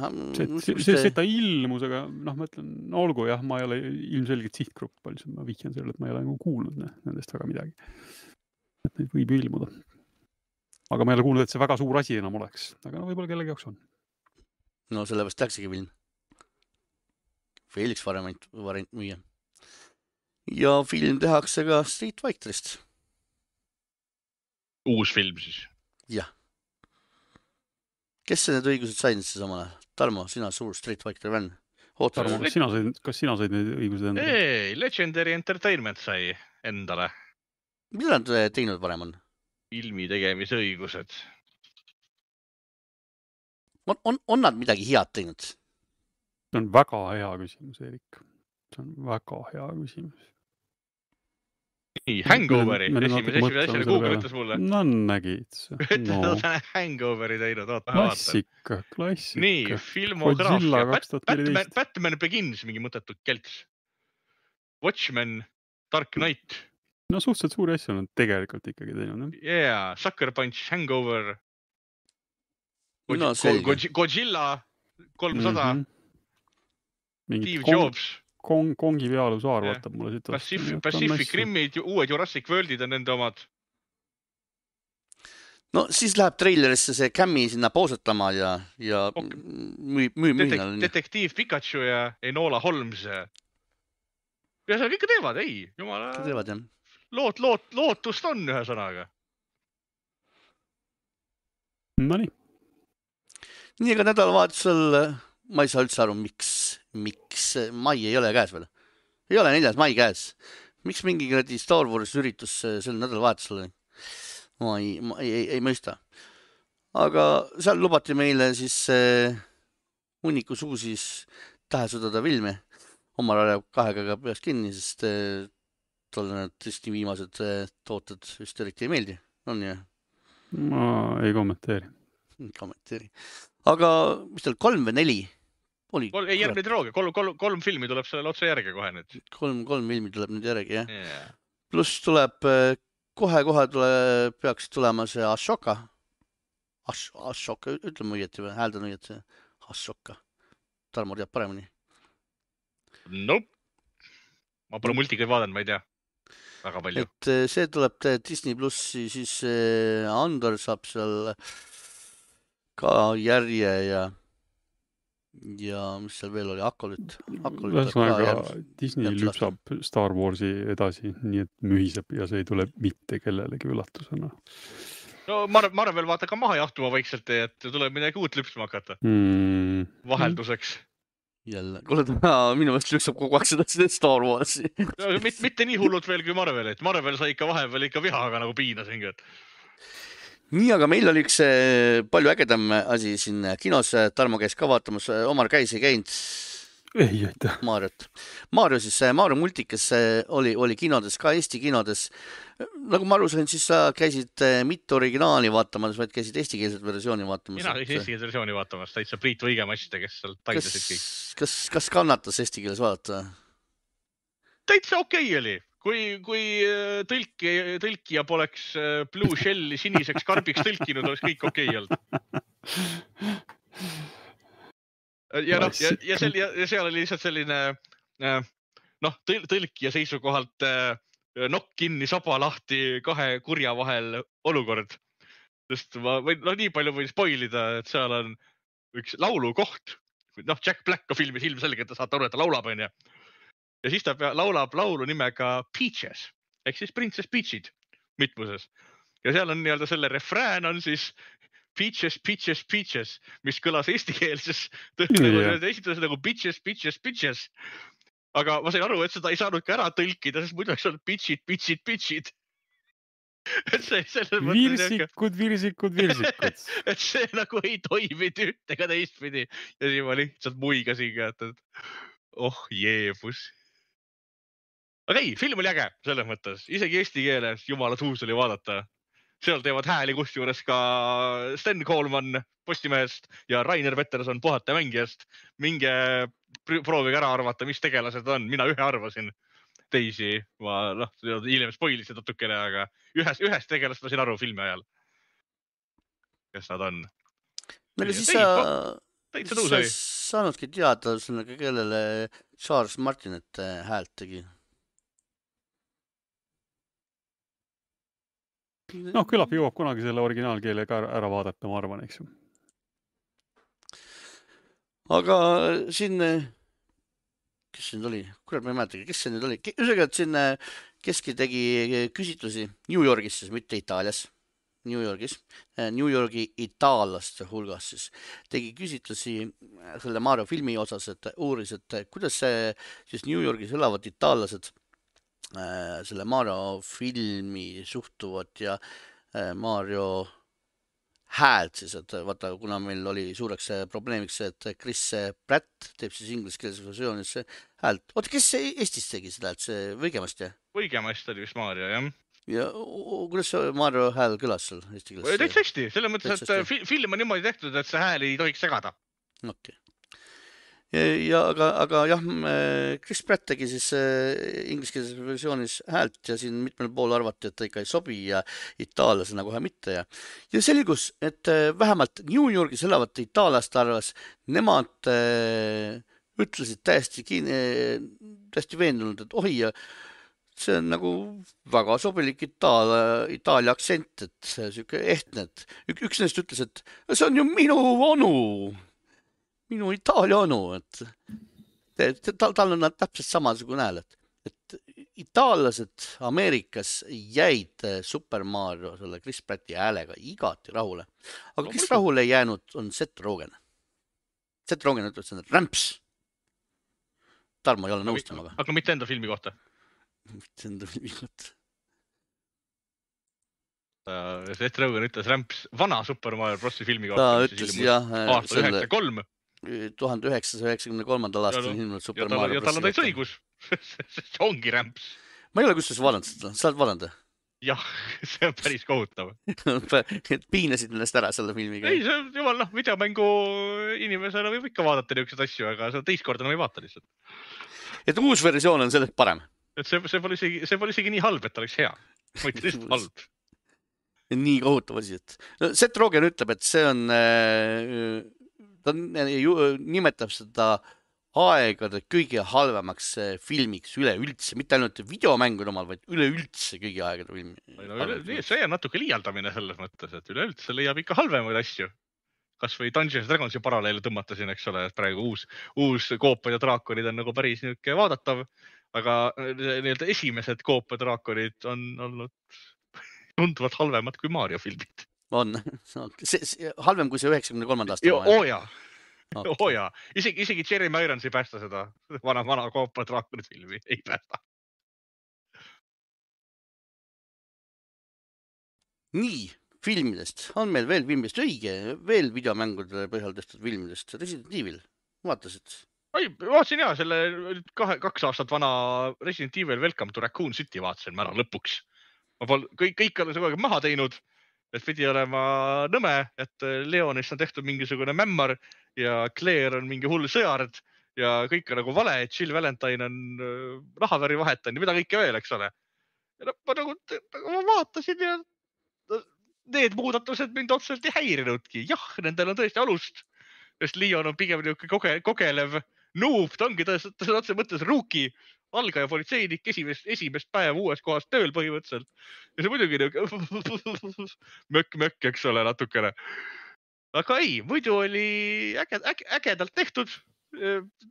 See ta ilmus, aga ma ütlen, olgu jah, ma ei ole ilmselgelt sihtgrupp, palju ma vihjan sellele, et ma ei ole kuulnud nendest väga midagi. Et neid võib ilmuda. Aga ma ei ole kuulnud, et see väga suur asi enam oleks, aga võib-olla kellegi jaoks on. No sellepärast tähtsegi film. Felix variant müüa. Ja film tehakse ka Street Fighterist. Uus film siis? Jah. Kes need õigused said siis samale? Tarmo, sina suur Street Fighter fänn. Tarmo, kas sina said need õigused endale? Ei, Legendary Entertainment sai endale. Mida nad teinud varem on? Filmi tegemise õigused. On nad midagi head teinud? See on väga hea küsimus, Erik. See on väga hea küsimus. Nii, Hangoveri. Esimese asjale Google ütles mulle. No nägid. Hangoveri teinud. Klassika. Nii, filmograafia. Batman Begins mingi mõttetud kelts. Watchmen, Dark Knight. No suhteliselt suuri asju on tegelikult ikkagi teinud. Yeah, Sucker Punch, Hangover. No, Godzilla. 300, Mingid Steve Jobs, Kongi pealusaar Jah. vaatab mulle siit. Pacific Rimid, uued Jurassic Worldid on nende omad. no siis läheb treilerisse see Cammi sinna poosatama ja mühinal. Detektiiv Pikachu ja Enola Holmes. Ja see ikka teevad, ei, jumala. Teevad, jah. Lootust on ühe sõnaga. No nii. Nii, aga nädalavahetusel ma ei saa üldse aru, miks mai ei ole käes veel. Ei ole 4. mai käes. Miks mingi Star Wars üritus sel nädalavahetusel? Ma ei mõista. Aga seal lubati meile siis hunnikus uusis tähesõdada filmi. Omal ajal 2 käega peast kinni, sest tolle need tõesti viimased tooted just eriti ei meeldi. On ju? Ma ei kommenteeri. Aga mis teil 3 või 4? Ei, järgmine triloogia. 3 filmi tuleb sellele otse järge kohe nüüd. 3 filmi tuleb nüüd järgi, jah. Yeah. Pluss tuleb kohe peaks tulema see Ashoka. Ashoka, ütleme õieti või? Hääldan õieti. Ashoka. Tarmo teab paremini. Nope. Ma pole multikaid vaadanud, ma ei tea. Väga palju. Et see tuleb Disney Plussi, siis Andor saab seal ka järje ja mis seal veel oli, Akolit. Disney lüpsab Star Warsi edasi, nii et mühiseb ja see ei tule mitte kellelegi üllatusena. No Marvel vaata ka maha jahtuma vaikselt, et tuleb midagi uut lüpsma hakata. Vahelduseks. Jälle, kuule minu meelest lüksab kogu aeg seda Star Warsi. No, mitte nii hullud veel kui Marvel, et Marvel sai ikka vahepeal ikka vihaga nagu piinasin. Nii, aga meil oli üks palju ägedam asi siin kinos. Tarmo käis ka vaatamas, Omar käis ei käinud. Ei, aitäh. Mario multikas oli kinodes, ka Eesti kinodes. Nagu ma aru sain, siis sa käisid mitte originaali vaatamas, vaid käisid eestikeelset versiooni vaatamas. Mina käisin eestikeelset versiooni vaatamas, täitsa Priit Võigemast, kes seal taidasid kõik. Kas kannatas eestikeeles vaadata? Täitsa okei oli. Kui tõlkija poleks Blue Shelli siniseks karbiks tõlkinud, oleks kõik okei olnud. Ja seal oli lihtsalt selline tõlkija seisukohalt nokk kinni, saba lahti 2 kurja vahel olukord. Sest ma võin, nii palju võin spoilida, et seal on üks laulukoht. Jack Black on filmis ilmselgelt, ta saate aru, et ta laulab, on ju. Ja siis ta laulab laulu nimega Peaches, ehk siis Princess Peachid mitmuses. Ja seal on nii-öelda selle refrään on siis Peaches, Peaches, Peaches, mis kõlas eestikeelses esitades nagu Bitches, Bitches, Bitches. Aga ma sain aru, et seda ei saanud ka ära tõlkida, sest muidu oleks olnud Bitchid, Bitchid, Bitchid. Virsikud. Et see nagu ei toiminud üht ega teistpidi. Ja siis ma lihtsalt muigasin, et jeebus. Aga ei, film oli äge selles mõttes. Isegi eesti keeles jumala tuus oli vaadata. Seal teevad hääli kusjuures ka Sten Koolman Postimehest ja Rainer Peterson Puhata mängijast. Minge proovige ära arvata, mis tegelased on. Mina ühe arvasin. Teisi, ma hiljem spoilisin natukene, aga ühest tegelast ma siin aru filmi ajal. Kes nad on? Aga siis sa saanudki teada, kellele Charles Martinet häält tegi. Küllap jõuab kunagi selle originaalkeele ka ära vaadata, ma arvan, eks ju. Aga siin, kes siin oli? Kurat, ma ei mäletagi, kes see nüüd oli? Üsega, et siin keski tegi küsitlusi New Yorgis, siis mitte Itaalias. New Yorgi itaallaste hulgas siis tegi küsitlusi selle Mario filmi osas, et uuris, et kuidas see siis New Yorgis elavad itaallased selle Mario filmi suhtuvad ja Mario häält siis, et vaata, kuna meil oli suureks probleemiks, et Chris Pratt teeb siis ingliskeelses versioonis häält. Oota, kes Eestis tegi seda, et see Võigemast, jah? Võigemast oli vist Mario, jah. Ja kuidas see Mario hääl kõlas seal eesti keeles? Täitsa hästi, selles mõttes, et film on niimoodi tehtud, et see hääl ei tohiks segada. Okei. aga jah, Chris Pratt tegi siis ingliskeelses versioonis häält ja siin mitmel pool arvati, et ta ikka ei sobi ja itaallasena kohe mitte ja selgus, et vähemalt New Yorgis elavate itaallaste arvas, nemad ütlesid täiesti veendunud, et ohi, see on nagu väga sobilik Itaalia aktsent, et see siuke ehtne, et üks neist ütles, et see on ju minu onu, minu Itaalia onu, et tal on täpselt samasugune hääl, et itaallased Ameerikas jäid Super Mario selle Chris Pratti häälega igati rahule, aga kes rahule ei jäänud, on Seth Rogen. Seth Rogen ütles, et rämps. Tarmo ei ole nõus temaga. Aga mitte enda filmi kohta. Mitte enda filmi kohta. Seth Rogen ütles rämps vana Super Mario Brosi filmi kohta. Ta ütles jah. Aasta 93. 1993. aastal ilmunud Super Mario Brosi. Ja tal on täis õigus. See ongi rämps. Ma ei ole kustus vaadanud seda. Sa oled vaadanud? Jah, see on päris kohutav. Piinasid ennast ära selle filmiga. Ei, see on jumal, videomängu inimesena võib ikka vaadata niisugused asju, aga see teist korda ei vaata lihtsalt. Et uus versioon on sellest parem. Et see pole isegi nii halb, et oleks hea. Ma ütlen lihtsalt halb. Nii kohutav asi, et Seth Rogen ütleb, et see on, ta nimetab seda aegade kõige halvemaks filmiks üleüldse, mitte ainult videomängude omal, vaid üleüldse kõigi aegade filmi. See on natuke liialdamine selles mõttes, et üleüldse leiab ikka halvemaid asju. Kas või Dungeons & Dragonsi paralleele tõmmata siin, eks ole, et praegu uus koopad ja draakonid on nagu päris niuke vaadatav, aga nii-öelda esimesed koopad ja draakonid on olnud tunduvalt halvemad kui Mario filmid. On. Halvem kui see 93. aasta. Oja. Isegi Jeremy Irons ei päästa seda vana koopa draakonid filmi. Ei päästa. Nii, filmidest. On meil veel filmidest õige, veel videomängude põhjal tehtud filmidest. Resident Evil. Vaatasid? Vaatasin jah, selle 2 aastat vana Resident Evil Welcome to Raccoon City vaatasin ma ära lõpuks. Kõik on see maha teinud, et pidi olema nõme, et Leonist on tehtud mingisugune mämmar ja Claire on mingi hull sõjard ja kõik on nagu vale, et Jill Valentine on rahaväri vahetan ja mida kõike veel, eks ole. Ja ma vaatasin ja need muudatused mind otseselt ei häirinudki. Jah, nendel on tõesti alust, sest Leon on pigem kogelev noob, ta ongi tõesti otse mõttes ruuki, algaja politseinik, esimest päeva uues kohas tööl põhimõtteliselt. Ja see muidugi mökk, eks ole, natukene. Aga ei, muidu oli ägedalt tehtud.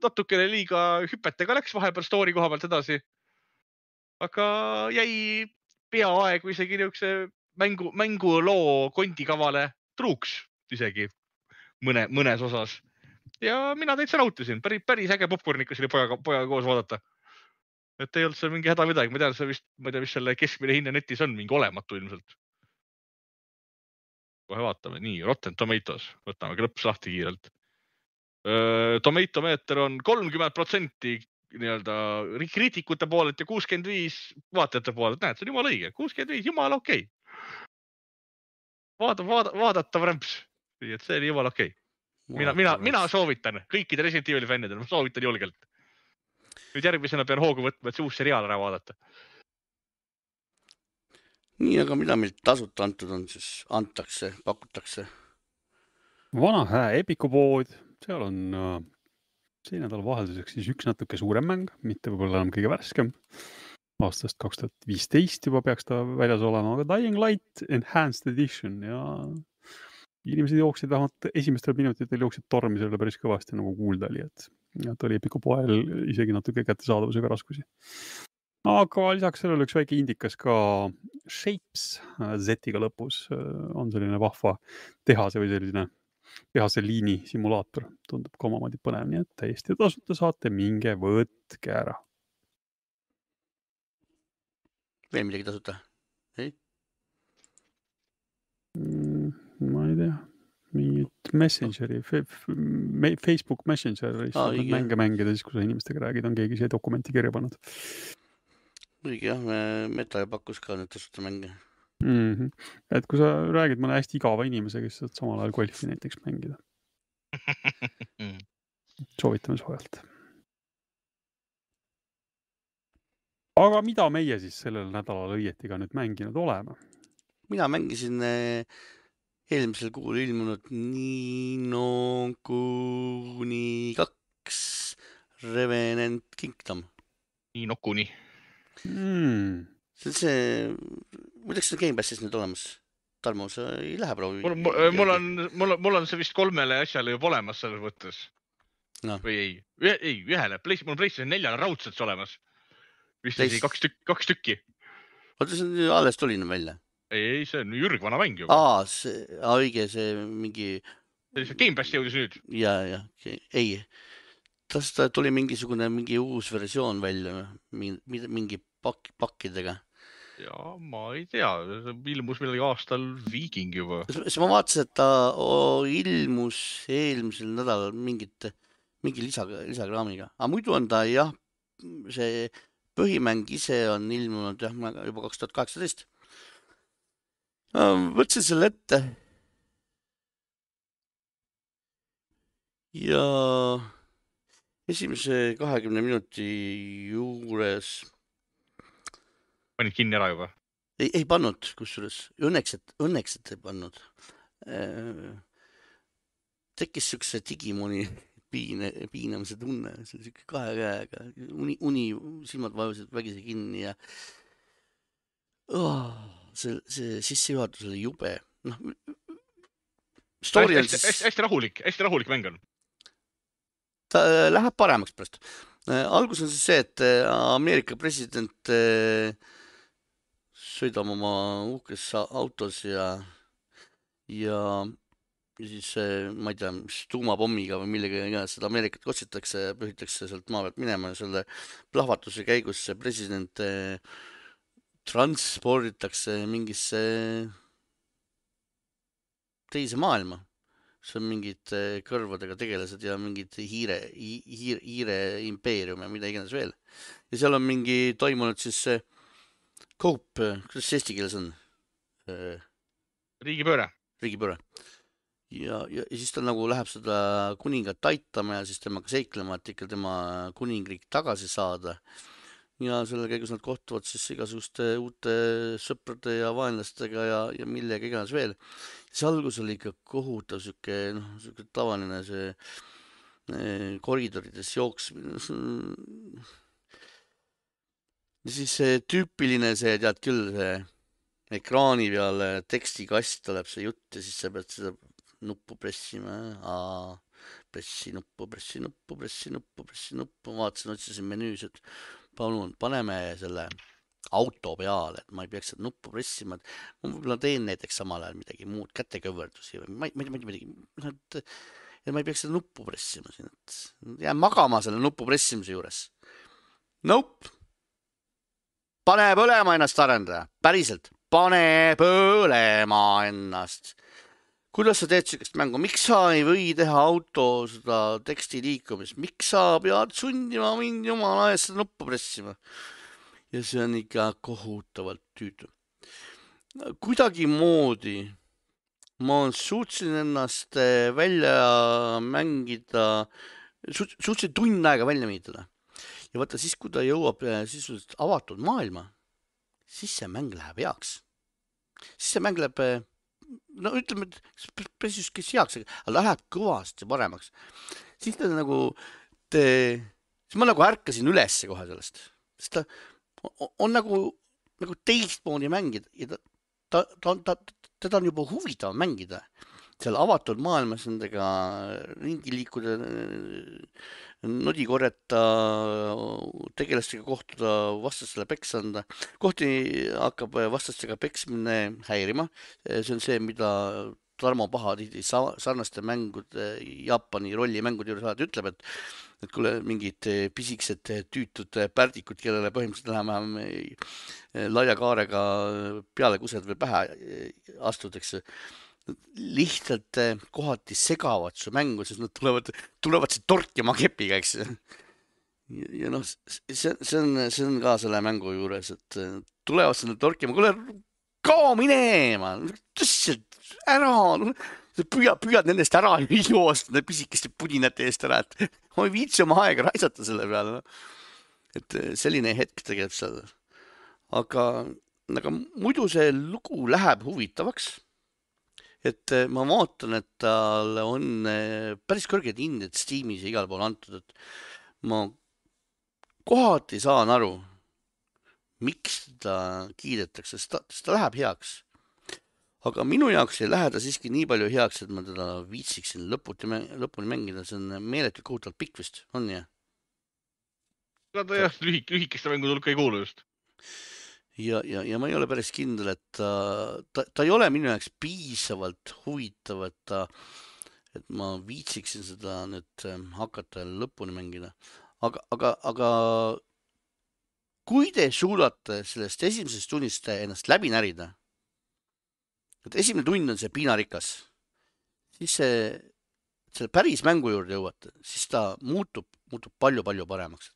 Natukene liiga hüpetega läks vahepeal story koha pealt edasi. Aga jäi peaaegu isegi niisuguse mänguloo kondikavale truuks isegi mõnes osas. Ja mina täitsa nautisin. Päris äge popcornikas oli pojaga koos vaadata. Et ei olnud see mingi häda midagi. Ma tean, ma ei tea, mis selle keskmine hinne netis on, mingi olematu ilmselt. Kohe vaatame. Nii, Rotten Tomatoes. Võtame klõps lahti kiirelt. Tomato meeter on 30% nii-öelda kriitikute poolelt ja 65 vaatajate poolelt. Näed, see on jumala õige. 65, jumala okei. Vaadatav rämps. Et see oli jumala okei. Mina soovitan kõikide Resident Evil fännidele. Ma soovitan julgelt. Nüüd järgmisena pean hoogu võtma, et see uus seriaal ära vaadata. Nii, aga mida meil tasuta antud on, siis antakse, pakutakse? Vana hää Epiku pood, seal on see nädal vahelduseks siis üks natuke suurem mäng, mitte võib-olla enam kõige värskem. Aastast 2015 juba peaks ta väljas olema, aga Dying Light Enhanced Edition ja inimesed jooksid vähemalt esimestel minutitel jooksid tormi selle päris kõvasti nagu kuulda oli, et oli Epiku poel isegi natuke kättesaadavusega raskusi. Aga lisaks sellele üks väike indikas ka Shapes Z-iga lõpus on selline vahva tehase või selline tehase liini simulaator. Tundub ka omamoodi põnev, nii et täiesti tasuta saate minge võtke ära. Veel midagi tasuta? Ei? Ma ei tea. Mingit Messengeri, Facebook Messenger mänge mängida, siis kui sa inimestega räägid, on keegi see dokumenti kirja pannud. Õige jah, Meta pakkus ka nüüd tasuta mänge. Et kui sa räägid mõne hästi igava inimesega, siis saad samal ajal golfi näiteks mängida. soovitame soojalt. Aga mida meie siis sellel nädalal õieti ka nüüd mänginud oleme? Mina mängisin eelmisel kuul ilmunud Nino Kuni 2 Revenant Kingdom. Nino Kuni. See on see, muideks see Gamepassis nüüd olemas. Tarmo, sa ei lähe proovi? Mul on see vist 3 asjale juba olemas selles võttes. No. Või ei, ühele. Mul on PlayStation 4 raudselt olemas. Vist oli 2 tükki. Oota, see alles tuli välja? Ei, see on jürgvana mäng juba. Õige, see mingi... See Gamepass jõudis nüüd. Ja, ei. Ta tuli mingi uus versioon välja, mingi pakkidega. Ja, ma ei tea. Ilmus millegi aastal Viking juba. Ma vaatasin, et ta ilmus eelmisel nädalal mingi lisakraamiga. Aga muidu on ta, jah, see põhimäng ise on ilmunud juba 2018. Võtsin selle ette. Ja esimese 20 minuti juures panid kinni ära juba? Ei pannud, kusjuures. Õnneks, et ei pannud. Tekkis siukse Digimoni piinamise tunne. See on siuke 2 käega. Uni silmad vajusid vägisi kinni ja see sissejuhatus oli jube. Hästi rahulik mäng on. Ta läheb paremaks pärast. Algus on siis see, et Ameerika president sõidab oma uhkes autos ja siis, ma ei tea, tuumapommiga või millega seda Ameerikat kotsitakse ja pühitakse sealt maa pealt minema ja selle plahvatuse käigus see president transporditakse mingisse teise maailma. See on mingid kõrvadega tegelased ja mingid hiire impeerium ja mida iganes veel. Ja seal on mingi toimunud siis Cope, kuidas eesti keeles on? Riigipööre. Ja siis ta nagu läheb seda kuningat aitama ja siis temaga seiklema, et ikka tema kuningriik tagasi saada. Ja selle käigus nad kohtuvad siis igasuguste uute sõprade ja vaenlastega ja millega iganes veel. See algus oli ikka kohutav, siuke tavaline see koridorides jooksmine. Ja siis see tüüpiline see, tead küll, see ekraani peale tekstikast tuleb see jutt ja siis sa pead seda nuppu pressima. Pressi nuppu. Vaatasin, otsisin menüüs, et palun, paneme selle auto peale, et ma ei peaks seda nuppu pressima. Ma võib-olla teen näiteks samal ajal midagi muud, kätekõverdusi või ma ei peaks seda nuppu pressima siin. Jään magama selle nuppu pressimise juures. Nope. Pane põlema ennast arendaja. Päriselt. Pane põlema ennast. Kuidas sa teed sellist mängu? Miks sa ei või teha auto seda teksti liikumist? Miks sa pead sundima mind jumala eest seda nuppu pressima? Ja see on ikka kohutavalt tüütu. Kuidagi moodi ma suutsin ennast välja mängida, suutsin tund aega välja mängida. Ja vaata siis, kui ta jõuab sisuliselt avatud maailma, siis see mäng läheb heaks. Siis see mäng läheb, no ütleme, et päris kes heaks, aga läheb kõvasti paremaks. Siis ta nagu, siis ma nagu ärkasin üles kohe sellest. Sest ta on nagu teistmoodi mängida ja teda on juba huvitav mängida. Seal avatud maailmas nendega ringi liikuda, nodi korjata, tegelastega kohtuda, vastastele peks anda. Kohti hakkab vastastega peksmine häirima. See on see, mida Tarmo Pahatihti sarnaste mängude, Jaapani rollimängude juures alati ütleb, et kuule mingid pisiksed tüütud pärdikud, kellele põhimõtteliselt enam-vähem laia kaarega peale kused või pähe astutakse. Lihtsalt kohati segavad su mängu, sest nad tulevad see torkima kepiga, eks. Ja noh, see on ka selle mängu juures, et tulevad selle torkima, kuule, kao minema, tõstselt ära, püüad nendest ära joosta pisikeste pudinate eest ära, et ma ei viitsi oma aega raisata selle peale. Et selline hetk tegelikult seal. Aga muidu see lugu läheb huvitavaks. Et ma vaatan, et tal on päris kõrged hinded Steamis ja igal pool antud, et ma kohati saan aru, miks ta kiidetakse, sest ta läheb heaks. Aga minu jaoks ei lähe ta siiski nii palju heaks, et ma teda viitsiksin lõpuni mängida. See on meeletu kohutavalt pikk vist, on jah? Ta jah, lühikeste mängude hulka ei kuulu just. Ja ma ei ole päris kindel, et ta ei ole minu jaoks piisavalt huvitav, et ma viitsiksin seda nüüd hakata lõpuni mängida. Aga kui te suudate sellest esimesest tunnist ennast läbi närida, et esimene tund on see piinarikas, siis selle päris mängu juurde jõuate, siis ta muutub palju paremaks.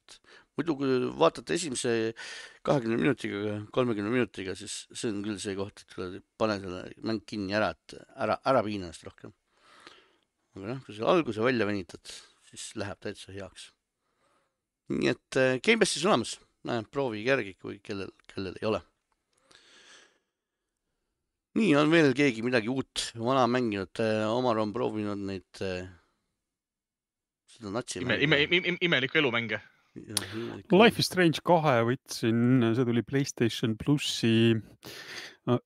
Muidu kui vaatate esimese 20 minutiga, 30 minutiga, siis see on küll see koht, et pane selle mäng kinni ära, et ära piina ennast rohkem. Aga kui selle alguse välja venitad, siis läheb täitsa heaks. Nii et Game Passis olemas, proovi järgi, kui kellel ei ole. Nii on veel keegi midagi uut vana mänginud, Omar on proovinud neid seda natsi Imelikku elumänge. Life is Strange 2 võtsin, see tuli PlayStation Plussi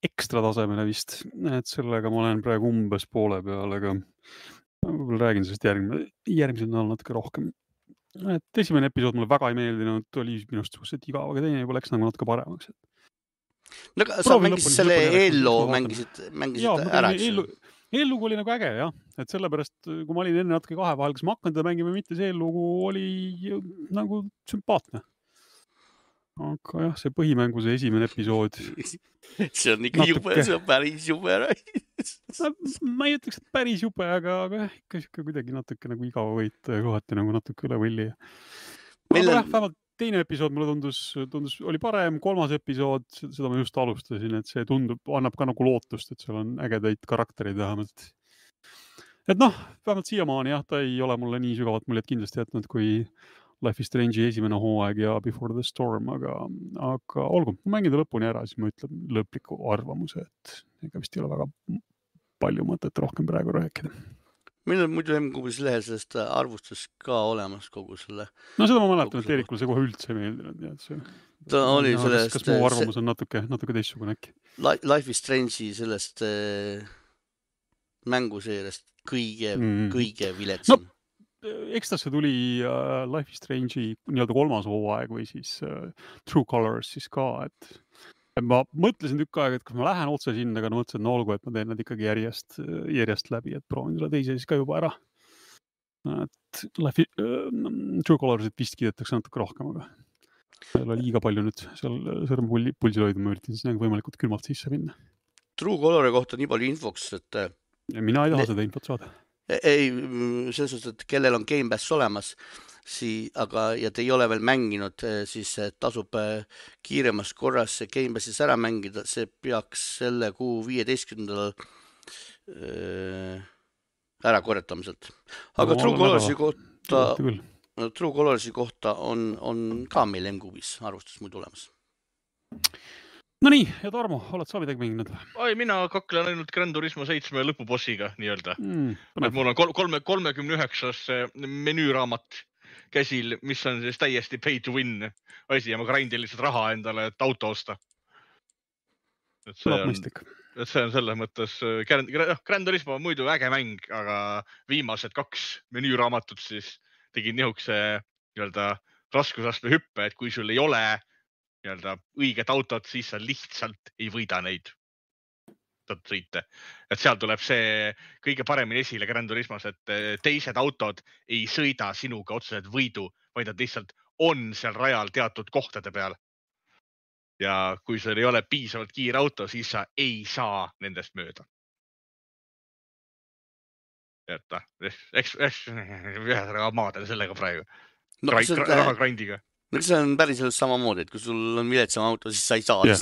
ekstra tasemele vist, et sellega ma olen praegu umbes poole peal, aga võib-olla räägin sellest järgmisel nädal natuke rohkem. Et esimene episood mulle väga ei meeldinud, oli minust suhteliselt igav, aga teine juba läks nagu natuke paremaks. No, sa mängisid selle Halo, mängisid ära, eks? Eellugu oli nagu äge, jah. Et sellepärast, kui ma olin enne natuke kahe vahel, kas ma hakkan teda mängima või mitte, see eellugu oli nagu sümpaatne. Aga jah, see põhimängu see esimene episood. See on ikka jube, see on päris jube. Ma ei ütleks, et päris jube, aga ikka kuidagi natuke nagu igav võita ja kohati nagu natuke üle võlli. Aga vähemalt teine episood mulle tundus oli parem, kolmas episood, seda ma just alustasin, et see annab ka nagu lootust, et seal on ägedaid karakterid vähemalt. Et vähemalt siiamaani jah, ta ei ole mulle nii sügavalt muljet kindlasti jätnud kui Life is Strange'i esimene hooaeg ja Before the Storm, aga olgu, ma mängin ta lõpuni ära, siis ma ütlen lõpliku arvamuse, et ega vist ei ole väga palju mõtet rohkem praegu rääkida. Meil on muidu MQB's lehel sellest arvustus ka olemas kogu selle. No seda ma mäletan, et Eerikule see kohe üldse ei meeldinud. Ta oli sellest... Kas mu arvamus on natuke teistsugune äkki? Life is Strange'i sellest mänguseerest kõige viletsam. Eks ta see tuli Life is Strange'i nii-öelda kolmas hooaeg või siis True Colors siis ka, et ma mõtlesin tükk aega, et kui ma lähen otse sinna, aga mõtlesin, olgu, et ma teen nad ikkagi järjest läbi, et proovin selle teise siis ka juba ära. Et True Colors'it vist kiidetakse natuke rohkem, aga seal oli liiga palju nüüd seal sõrmepulsil hoida, ma üritin sinna võimalikult külmalt sisse minna. True Colori kohta nii palju infoks, et... Ja mina ei taha seda infot saada. Ei, selles suhtes, et kellel on Game Pass olemas, ja te ei ole veel mänginud, siis tasub kiiremas korras Game Passis ära mängida, see peaks selle kuu 15. Ära korjatamiselt. Aga True Colorsi kohta on ka meil MQB's arvustus muidu olemas. No nii, ja Tarmo, oled sa midagi mänginud? Oi, mina kaklen ainult Gran Turismo 7 lõpubossiga nii-öelda. Mul on 39 menüüraamat käsil, mis on siis täiesti pay to win asi ja ma grindin lihtsalt raha endale, et auto osta. Et see on selles mõttes Gran Turismo on muidu äge mäng, aga viimased 2 menüüraamatut siis tegin nihukese raskusastme hüppe, et kui sul ei ole õiget autot, siis sa lihtsalt ei võida neid sõite. Et seal tuleb see kõige paremini esile Gran Turismos, et teised autod ei sõida sinuga otseselt võidu, vaid nad lihtsalt on seal rajal teatud kohtade peal. Ja kui sul ei ole piisavalt kiire auto, siis sa ei saa nendest mööda. Maaden sellega praegu. Raha grindiga. See on päriselt samamoodi, et kui sul on viletsam auto, siis sa ei saa yeah.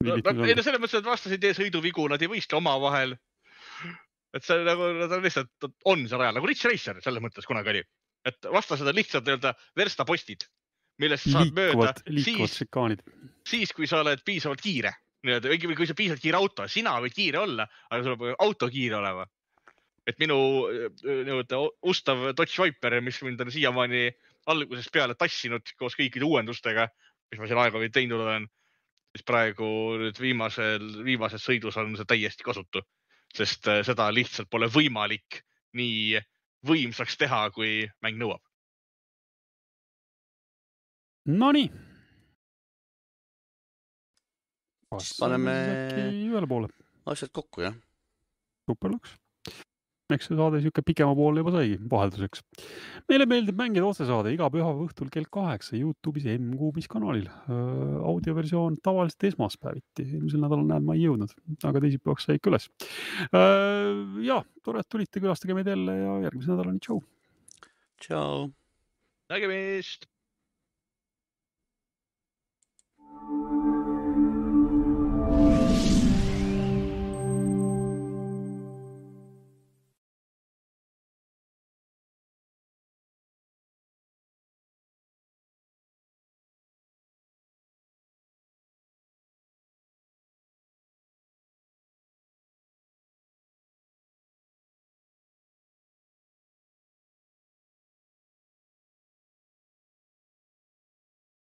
Ei, no, selles mõttes, et vastased tee sõiduvigu, nad ei võistle oma vahel. et see nagu, ta lihtsalt on seal ajal, nagu Ridge Racer selles mõttes kunagi oli. Et vastased on lihtsalt nii-öelda verstapostid, millest saad mööda liikuvad šikaanid. siis, kui sa oled piisavalt kiire. Või kui sa piisavalt kiire auto, sina võid kiire olla, aga sul peab auto kiire olema. Et minu ustav Dodge Viper, mis mind on siiamaani algusest peale tassinud koos kõikide uuendustega, mis ma siin aega või teinud olen, siis praegu nüüd viimases sõidus on see täiesti kasutu, sest seda lihtsalt pole võimalik nii võimsaks teha, kui mäng nõuab. Nonii. Paneme ühele poole. asjad kokku, jah. Super lõks. Eks see saade siuke pikema poole juba saigi vahelduseks. Meile meeldib mängida otsesaade iga pühapäeva õhtul kell 8 YouTube'is M-Kuubis kanalil. Audioversioon tavaliselt esmaspäeviti. Eelmisel nädalal näed, ma ei jõudnud, aga teisipäevaks sai ikka üles. Ja, tore, et tulite, külastage meid jälle ja järgmise nädalani. Tšau. Tšau. Nägemist!